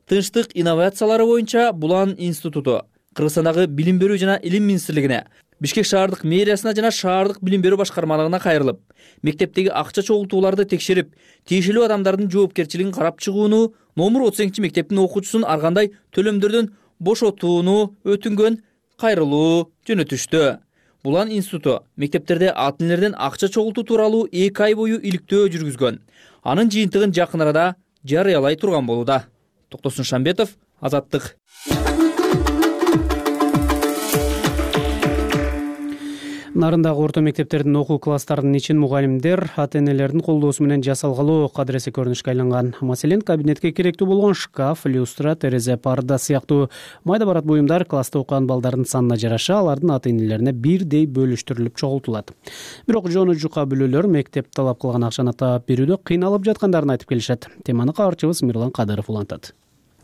Тынчтык инновациялары боюнча Булан институту Кыргызстандагы билим берүү жана илим министрлигине Бишкек шаардык мэриясына жана шаардык билим берүү башкармалыгына кайрылып, мектептеги акча чогултууларды текшерип, тийиштүү адамдардын жоопкерчилигин карап чыгууну, номер 32 мектептин окуучусун ар кандай төлөмдөрдөн бошотууну өтүнгөн кайрылуу жөнөтүштү. Булан институту мектептерде ата энелерден акча чогултуу тууралуу 2 ай бою иликтөө жүргүзгөн. Анын жыйынтыгын жакын арада жарыялай турган болууда. Токтосун Шамбетов, Азаттык. Нарындагы орто мектептердин окуу класстарынын ичин мугалимдер ата энелердин колдоосу менен жасалгалуу кадыресе көрүнүшкө айланган. Маселен, кабинетке керектүү болгон шкаф, люстра, терезе, парда сыяктуу майда барат буюмдар класста окуган балдардын санына жараша алардын ата энелерине бирдей бөлүштүрүлүп чогултулат. Бирок жону жука бүлөлөр мектеп талап кылган акчаны таап берүүдө кыйналып жаткандарын айтып келишет. Теманы кабарчыбыз Мирлан Кадыров улантат.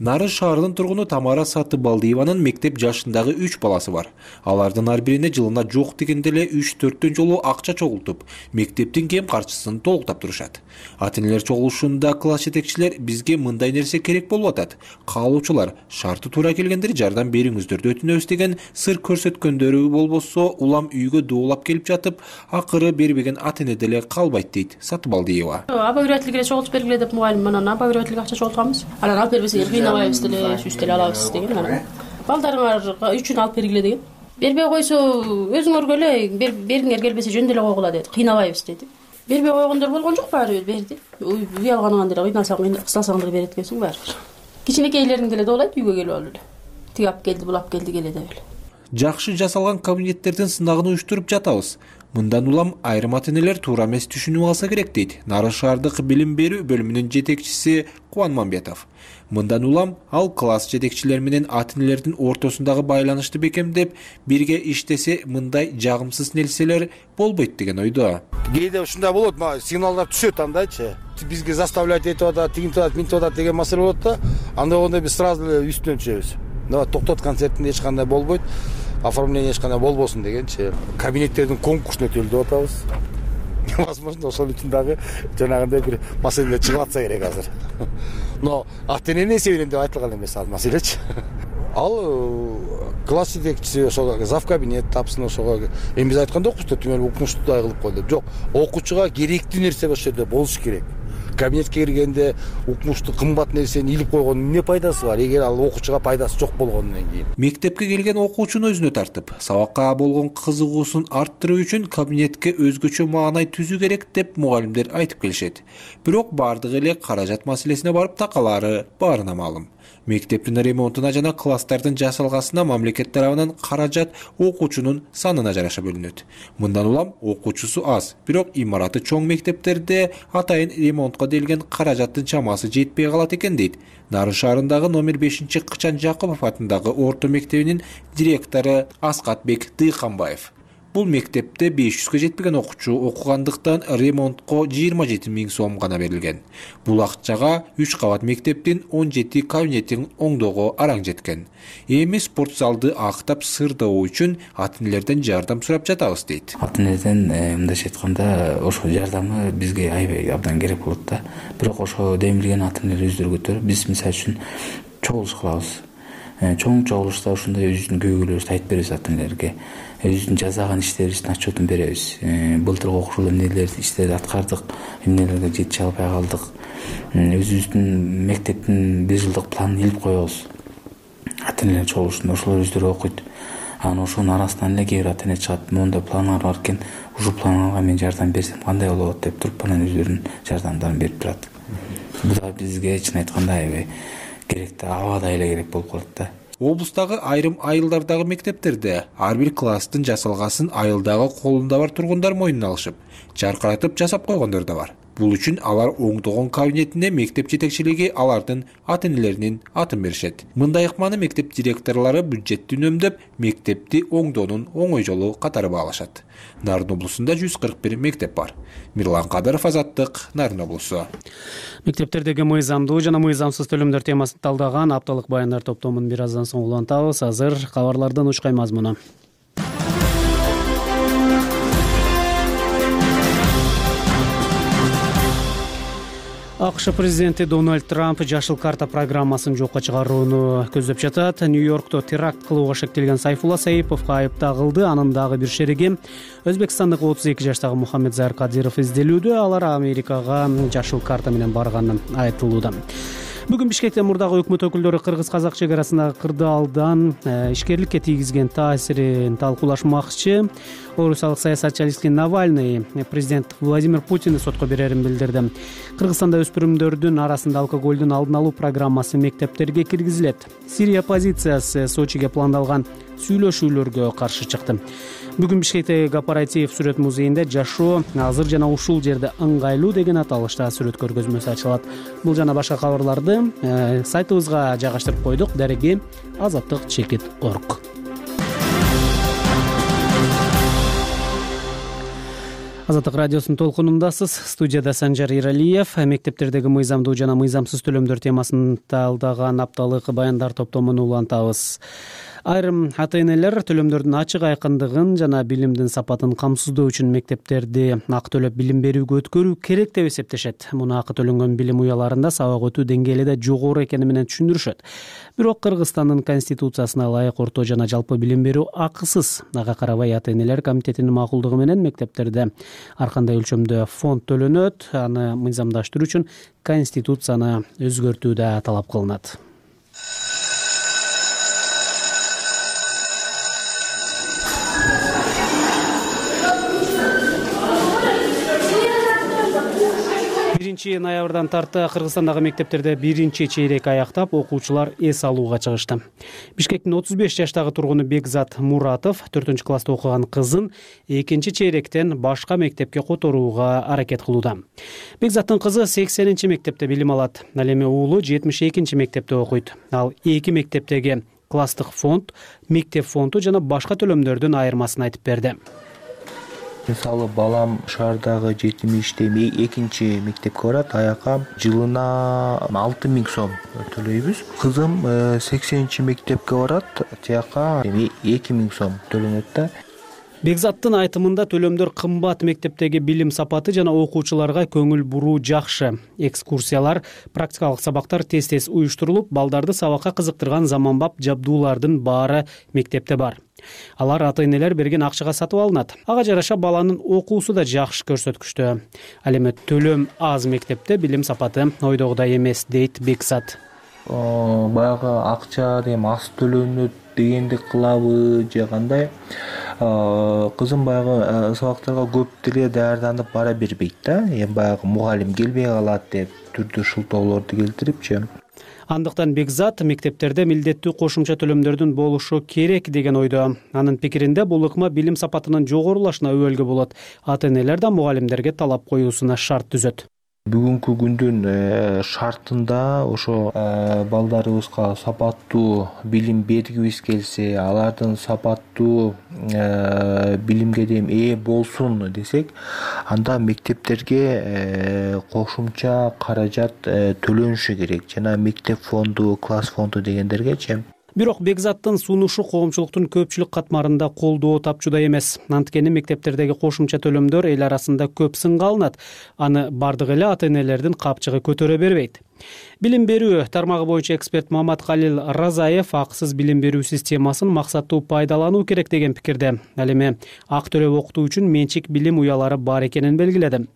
Нарын шаарынын тургуну Тамара Сатыбалдиеванын мектеп жашындагы 3 баласы бар. Алардын ар бирине жылына жок дегенде эле 3-4 жолу акча чогултуп, мектептин кем карчысын толуктап турушат. Ата энелер чогулушунда класс жетекчилер бизге мындай нерсе керек болуп атат. Каалоочулар шарты туура келгендер жардам бериңиздерди өтүнөбүз деген сыр көрсөткөндөрү болбосо, улам үйгө дуулап келип жатып, акыры бербеген ата эне деле калбайт дейт Сатыбалдиева. Обогревательге чогултуп бергиле деп мугалим анан обогревательге акча чогултканбыз. Анан алып бербесеңер кыйнабайбыз деле, сүз деле алабыз деген анан. Балдарыңар үчүн алып бергиле деген. Бербей койсо өзүңөргө эле бериңер келбесе жөн деле койгула деди. Кыйнабайбыз деди. Бербей койгондор болгон жок, баары берди. Уялганыңан деле кыйнасаң деле берет экенсиң баары. Кичинекейлерин деле доолайт, үйгө келип алып эле. Тиги алып келди, бул алып келди келе деп эле. Жакшы жасалган кабинеттердин сынагын уюштуруп жатабыз. Мындан улам айрым ата энелер туура эмес түшүнүп алса керек дейт Нарын шаардык билим берүү бөлүмүнүн жетекчиси Кубан Мамбетов. Мындан улам ал класс жетекчилери менен ата энелердин ортосундагы байланышты бекемдеп, бирге иштесе мындай жагымсыз нерселер болбойт деген ойдо. Кээде ушундай болот, сигналдар түшөт андайчы. Бизге заставлять этип атат, тигинтип атат, минтип атат деген маселе болот да. Анда болгондо биз сразу эле үстүнөн түшөбүз. Токтот, концертинде эч кандай болбойт. Оформление эч кандай болбосун дегенчи. Кабинеттердин конкурсун өтөлү деп атабыз. Возможно, ошол үчүн дагы жанагындай бир маселе чыгып атса керек азыр. Но ата эненин эсебинен деп айтылган эмес ал маселечи. Ал класс жетекчиси ошого зав кабинет тапсын, ошого эми биз айтканда окуучу түгөл укмуштуудай кылып койду. Жок, окуучуга керектүү нерсе ошол жерде болуш керек. Кабинетке киргенде укмуштуу кымбат нерсени илип койгондун эмне пайдасы бар, эгер ал окуучуга пайдасы жок болгондон кийин. Мектепке келген окуучуну өзүнө тартып, сабакка болгон кызыгуусун арттыруу үчүн кабинетке өзгөчө маанай түзүү керек деп мугалимдер айтып келишет. Бирок бардыгы эле каражат маселесине барып такалаары баарына маалым. Мектептин ремонтуна жана класстардын жасалгасына мамлекет тарабынан каражат окуучунун санына жараша бөлүнөт. Мындан улам окуучусу аз, бирок имараты чоң мектептерде атайын ремонтко делген каражаттын чамасы жетпей калат экен дейт Нарын шаарындагы номер 5-Кычан Жакупов атындагы орто мектебинин директору Аскатбек Дыйканбаев. Бул мектепте 500-га жетпеген окуучу окугандыктан ремонтко 27 000 сом гана берилген. Бул акчага 3 кабат мектептин 17 кабинетин оңдоого араң жеткен. Эми спорт залды актап сырдоо үчүн ата энелерден жардам сурап жатабыз дейт. Ата энеден мындайча айтканда ошол жардамы бизге аябай абдан керек болот да. Бирок ошо демилген ата энелер өздөрү көтөрүп, биз мисалы үчүн чогулуш кылабыз. Чоң чогулушта ушундай өзүбүздүн көйгөйлөрүбүздү айтып беребиз ата энелерге. Өзүбүздүн жасаган иштерибиздин отчетун беребиз. Былтыркы окуучулар эмнелерди иштерди аткардык, эмнелерге жетише албай калдык. Өзүбүздүн мектептин 1 жылдык планын илип коебуз. Ата энелер чогулушунда ошолор өздөрү окуйт. Анан ошонун арасынан эле кээ бир ата эне чыгат, моундай планыңар бар экен, ушул планга мен жардам берсем кандай болот деп туруп, анан өздөрүнүн жардамдарын берип турат. Бул да бизге чын айтканда аябай керекти, абадай эле керек болуп калат да. Облустагы айрым айылдардагы мектептерде ар бир класстын жасалгасын айылдагы колунда бар тургундар мойнуна алышып, жаркыратып жасап койгондор да бар. Бул үчүн алар оңдогон кабинетине мектеп жетекчилиги алардын ата энелеринин атын беришет. Мындай ыкманы мектеп директорлору бюджетти үнөмдөп, мектепти оңдоонун оңой жолу катары баалашат. Нарын облусунда 141 мектеп бар. Мирлан Кадыров, Азаттык, Нарын облусу. Мектептердеги мыйзамдуу жана мыйзамсыз төлөмдөр темасын талдаган апталык баяндар топтомун бир аздан соң улантабыз. Азыр кабарлардын учкай мазмуну. АКШ президенти Дональд Трамп жашыл карта программасын жокко чыгарууну көздөп жатат. Нью-Йоркто теракт кылууга шектелген Сайфулла Саиповго айып тагылды. Анын дагы бир шериги өзбекстандык 32 жаштагы Мухаммедзайыр Кадиров изделүүдө. Алар Америкага жашыл карта менен барганы айтылууда. Бүгүн Бишкекте мурдагы өкмөт өкүлдөрү кыргыз-казак чек арасындагы кырдаалдан ишкерликке тийгизген таасирин талкуулашмакчы. Орусиялык саясатчы Алексей Навальный президент Владимир Путинди сотко берерин билдирди. Кыргызстанда өспүрүмдөрдүн арасында алкоголдун алдын алуу программасы мектептерге киргизилет. Сирия оппозициясы Сочиге пландалган сүйлөшүүлөргө каршы чыкты. Бүгүн Бишкектеги Кооператив сүрөт музейинде жашоо азыр жана ушул жерде ыңгайлуу деген аталышта сүрөт көргөзмөсү ачылат. Бул жана башка кабарларды сайтыбызга жайгаштырып койдук. Дареги azаттык.org. Азаттык радиосунун толкунундасыз. Студияда Санжар Иралиев. Мектептердеги мыйзамдуу жана мыйзамсыз төлөмдөр темасын талдаган апталык баяндар топтомун улантабыз. Айрым ата-энелер төлөмдөрдүн ачык айкындыгын жана билимдин сапатын камсыздоо үчүн мектептерди акы төлөп билим берүүгө өткөрүү керек деп эсептешет. Муну акы төлөнгөн билим уяларында сабак өтүү деңгээли да жогору экени менен түшүндүрүшөт. Бирок Кыргызстандын конституциясына ылайык орто жана жалпы билим берүү акысыз. Ага карабай ата-энелер комитетинин макулдугу менен мектептерде ар кандай өлчөмдө фонд төлөнөт. Аны мыйзамдаштыруу үчүн конституцияны өзгөртүү да талап кылынат. Ноябрдан тарта Кыргызстандагы мектептерде биринчи чейрек аяктап, окуучулар эс алууга чыгышты. Бишкектин 35 жаштагы тургуну Бекзат Муратов 4-класста окуган кызын экинчи чейректен башка мектепке которууга аракет кылууда. Бекзаттын кызы 80-чи мектепте билим алат. Ал эми уулу 72-чи мектепте окуйт. Ал эки мектептеги класстык фонд, мектеп фонду жана башка төлөмдөрдүн айырмасын айтып берди. Мисалы балам шаардагы 70-те экинчи мектепке барат, аяка жылына 6000 сом төлөйбүз. Кызым 80-чи мектепке барат, тияка 2000 сом төлөнөт да. Бекзаттын айтымында төлөмдөр кымбат, мектептеги билим сапаты жана окуучуларга көңүл буруу жакшы. Экскурсиялар, практикалык сабактар тез-тез уюштурулуп, балдарды сабакка кызыктырган заманбап жабдуулардын баары мектепте бар. Алар ата-энелер берген акчага сатып алынат. Ага жараша баланын окуусу да жакшы көрсөткүчтө. Ал эми төлөм аз мектепте билим сапаты ойдогудай эмес, дейт Бекзат. Баягы акча деген аз төлөнөт дегенди кылабы же кандай? Кызым баягы сабактарга көп деле даярданып бара бербейт да. Баягы мугалим келбей калат деп түрдүү шылтоолорду келтирипчи. Андыктан Бекзат мектептерде милдеттүү кошумча төлөмдөрдүн болушу керек деген ойдо. Анын пикиринде бул ыкма билим сапатынын жогорулашына өбөлгө болот. Ата-энелер да мугалимдерге талап коюусуна шарт түзөт. Бүгүнкү күндүн шартында ошо балдарыбызга сапаттуу билим бергибиз келсе, алардын сапаттуу билимге ээ болсун десек, анда мектептерге кошумча каражат төлөнүшү керек. Жана мектеп фонду, класс фонду дегендергечи. Бирок Бекзаттын сунушу коомчулуктун көпчүлүк катмарында колдоо тапчуда эмес. Анткени мектептердеги кошумча төлөмдөр эл арасында көп сынга алынат. Аны бардык эле ата-энелердин капчыгы көтөрө бербейт. Билим берүү тармагы боюнча эксперт Маматкалил Разаев акысыз билим берүү системасын максаттуу пайдалануу керек деген пикирде. Ал эми акы төлөп окутуу үчүн менчик билим уялары бар экенин белгиледи.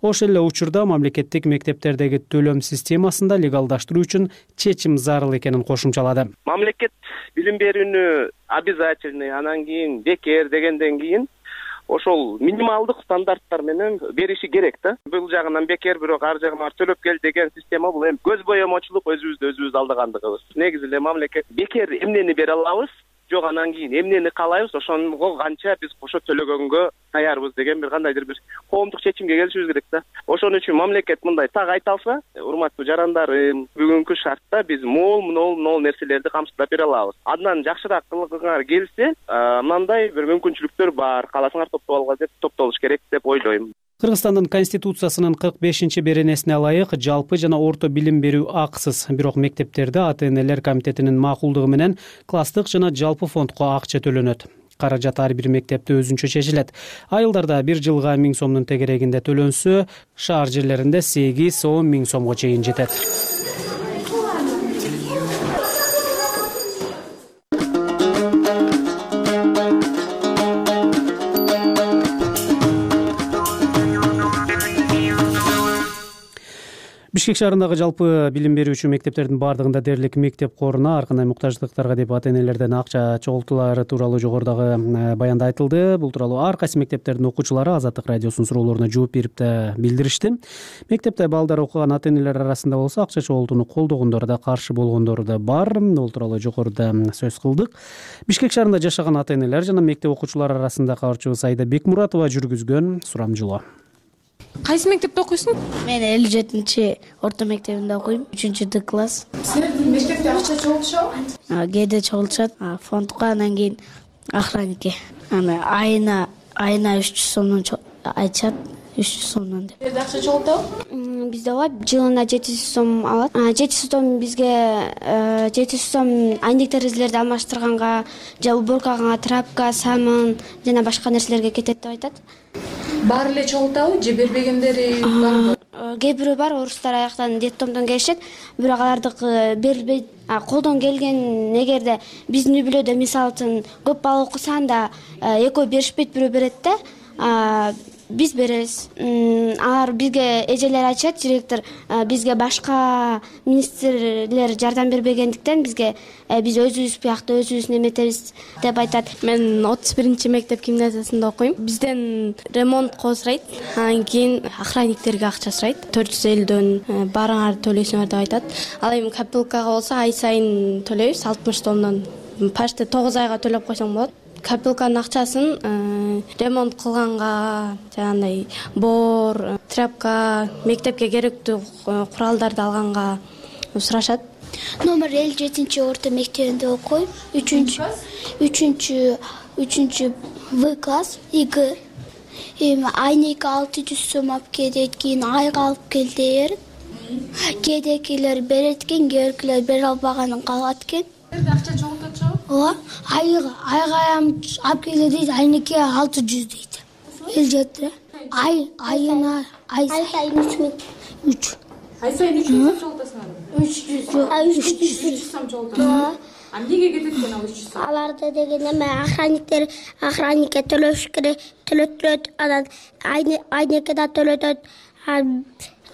Ошол эле учурда мамлекеттик мектептердеги төлөм системасында легалдаштыруу үчүн чечим зарыл экенин кошумчалады. Мамлекет билим берүүнү обязательный, анан кийин бекер дегенден кийин ошол минималдык стандарттар менен бериши керек да. Бул жагынан бекер, бирок ар жагынан төлөп кел деген система бул эми көз боемочулук, өзүбүз алдагандыгыбыз. Негизи эле мамлекет бекер эмнени бере алабыз, жок анан кийин эмнени каалайбыз, ошого канча биз кошо төлөгөнгө даярбыз деген бир кандайдыр бир коомдук чечимге келишибиз керек да. Ошон үчүн мамлекет мындай так айта алса, урматтуу жарандарым, бүгүнкү шартта биз могул нерселерди камсыздап бере алабыз. Андан жакшыраак кылгыңар келсе, мындай бир мүмкүнчүлүктөр бар. Кааласаңар топтоп алга деп топтолуш керек деп ойлойм. Кыргызстандын конституциясынын 45-чи беренесине ылайык жалпы жана орто билим берүү акысыз. Бирок мектептерде ата-энелер комитетинин макулдугу менен класстык жана жалпы фондко акча төлөнөт. Каражат ар бир мектепте өзүнчө чечилет. Айылдарда 1 жылга 1000 сомдун тегерегинде төлөнсө, шаар жерлеринде 8-10 миң сомго чейин жетет. Бишкек шаарындагы жалпы билим берүүчү мектептердин бардыгында дээрлик мектеп коруна ар кандай муктаждыктарга деп ата-энелерден акча чогултуулары тууралуу жогорудагы баянда айтылды. Бул тууралуу ар кайсы мектептердин окуучулары Азаттык радиосунун суроолоруна жооп берип да билдиришти. Мектепте балдар окуган ата-энелер арасында болсо акча чогултууну колдогондор да, каршы болгондор да бар. Бул тууралуу жогоруда сөз кылдык. Бишкек шаарында жашаган ата-энелер жана мектеп окуучулары арасында кабарчыбыз Айда Бекмуратова жүргүзгөн сурамжылоо. Кайсы мектепте окуйсуң? Мен 57 орто мектебинде окуйм, 3-Д класс. Силердин мектепте акча чогултушабы? Кээде чогултушат, фондко, анан кийин охранникке. Айына 300 сомдон айтышат, 300 сомдон деп. Силерде акча чогултабы? Бизде ооба, жылына 700 сом алат. 700 сом бизге 700 сом айнек терезелерди алмаштырганга, же уборкага, трапка, самын жана башка нерселерге кетет деп айтат. Баары эле чогултабы же бербегендери барбы? Кээ бирөө бар, орустар аяктан детдомдон келишет, бирок алардыкы берилбейт. Колдон келген эгерде биздин үй бүлөдө мисалы үчүн көп бала окусаң да экөө беришпейт, бирөө берет да. Биз беребиз. Алар бизге эжелер айтышат, директор бизге башка министрлер жардам бербегендиктен бизге биз өзүбүз биякта өзүбүз неметебиз деп айтат. Мен 31 мектеп гимназиясында окуйм. Бизден ремонтко сурайт, анан кийин охранниктерге акча сурайт. 450дөн барыңар төлөйсүңөр деп айтат. Ал эми копилкага болсо ай сайын төлөйбүз 60 сомдон. Почти 9 айга төлөп койсоң болот. Копилканын акчасын ремонт кылганга, жанагындай боор, трапка, мектепке керектүү куралдарды алганга сурашат. Номер 57 орто мектебинде окуйм. 3-В класс, ИГ. Айнек 600 сом алып келет, кийин айга алып кел дейт. Кээдекилер берет экен, кээдекилер бере албаганын калат экен. Акча чогултачабы? Ооба, айга алып келе дейт, айнекке 600 дейт. Эл жетти. Айына сайын 3. Ай сайын 300 сом чогултасыңарбы? 300 сом чогултасыңар. Эмнеге кетет экен ал 300 сом? Аларды деген эме охранникке төлөш керек, төлөт, анан айнекке да төлөтөт.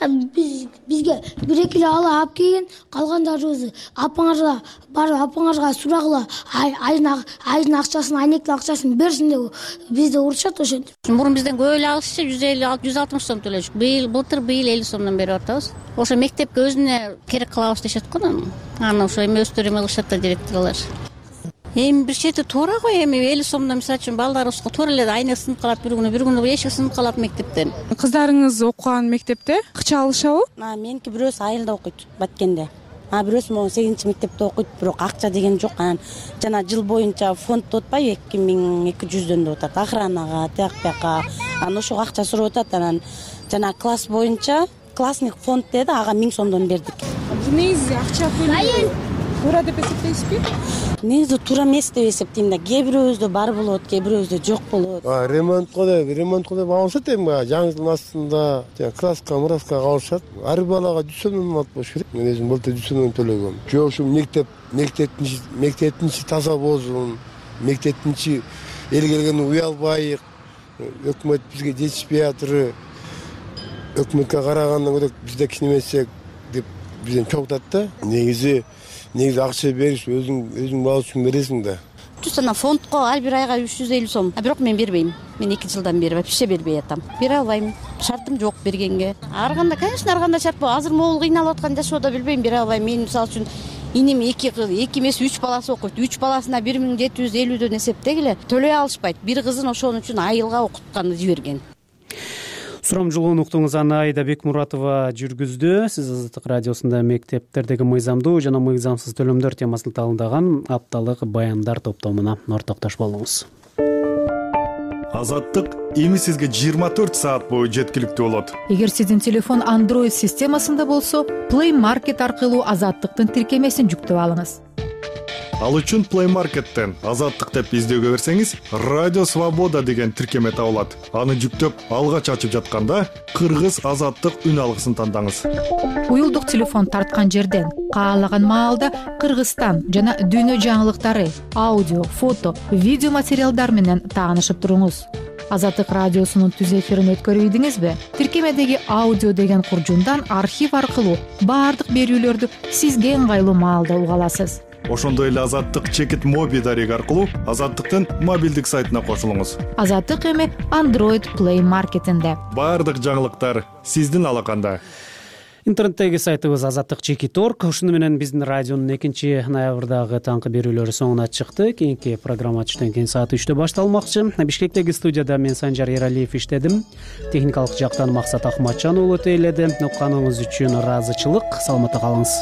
Бизге бир-эки эле алып келген, калгандарыбызды апаңарга сурагыла, айдын акчасын, айнектин акчасын берсин деп бизди урушат ошентип. Мурун бизден көп эле алышчы, 150-160 сом төлөдүк. Былтыр 50 сомдон берип атабыз. Ошо мектепке өзүнө керек кылабыз дешет го. Аны ошо эми өздөрү эме кылышат да директорлор. Эми бир чети туура го, эми 50 сомдон мисалы үчүн балдарыбызга туура эле айнек сынып калат, бир күнү эшик сынып калат мектептен. Кыздарыңыз окуган мектепте акча алышабы? Меники бирөөсү айылда окуйт, Баткенде. Бирөөсү могу 8 мектепте окуйт, бирок акча деген жок. Анан жана жыл боюнча фонд деп атпайбы, 2200дөн деп атат, охранага, тияк-бияка. Анан ошого акча сурап атат. Анан жана класс боюнча классник фонд деди, ага 1000 сомдон бердик. Негизи акча көлөмү туура деп эсептейсизби? Негизи туура эмес деп эсептейм да. Кээ бирөөбүздө бар болот, кээ бирөөбүздө жок болот. Ремонтко деп алышат эми жаңы жылдын астында класска, мураска алышат. Ар балага 100 сомдон алып болуш керек. Мен өзүм былтыр 100 сомдон төлөгөм. Жок, ушу мектептин таза болсун, мектептин эл келгенде уялбайык. Өкмөт бизге жетишпей атыр. Өкмөткө карагандан көрө бизде кичинемесек деп бизден чогултат да. Негизи акча бериш өзүң бала үчүн бересиң да. Ана фондко ар бир айга 350 сом. Бирок мен бербейм. Мен 2 жылдан бери вообще бербей атам. Бере албайм. Шартым жок бергенге. Ар кандай, конечно, ар кандай шарт бар. Азыр могул кыйналып аткан жашоодо билбейм, бере албайм. Мен мисалы үчүн иним 2 эмес 3 баласы окуйт. 3 баласына 1750дөн эсептегиле. Төлөй алышпайт. Бир кызын ошон үчүн айылга окутканды жиберген. Сурамжылоону уктуңуз, аны Айда Бекмуратова жүргүздү. Сиз Азаттык радиосунда мектептердеги мыйзамдуу жана мыйзамсыз төлөмдөр темасына талындаган апталык баяндар топтомуна ортоктош болуңуз. Азаттык эми сизге 24 саат бою жеткиликтүү болот. Эгер сиздин телефон Android системасында болсо, Play Market аркылуу Азаттыктын тиркемесин жүктөп алыңыз. Ал үчүн Play Market'тен Азаттык деп издөөгө берсеңиз, Радио Свобода деген тиркеме табылат. Аны жүктөп, алгач ачып жатканда Кыргыз Азаттык үн алгысын тандаңыз. Уюлдук телефон тарткан жерден каалаган маалда Кыргызстан жана дүйнө жаңылыктары, аудио, фото, видео материалдар менен таанышып туруңуз. Азаттык радиосунун түз эфирин өткөрүп ийдиңизби? Тиркемедеги аудио деген куржундан архив аркылуу баардык берүүлөрдү сизге ыңгайлуу маалда уга аласыз. Ошондой эле Азаттык чекит моби дареги аркылуу Азаттыктын мобилдик сайтына кошулуңуз. Азаттык эми Android Play Market'инде. Баардык жаңылыктар сиздин алаканда. Интернеттеги сайтыбыз azattikchekit.org. Ушуну менен биздин радионун 2-ноябрдагы таңкы берүүлөрү соңуна чыкты. Кийинки программа түштөн кийин саат 3-тө башталмакчы. Бишкектеги студияда мен Санжар Эралиев иштедим. Техникалык жактан Максат Ахматжан уулу тейледи. Укканыңыз үчүн ыраазычылык. Саламатта калыңыз.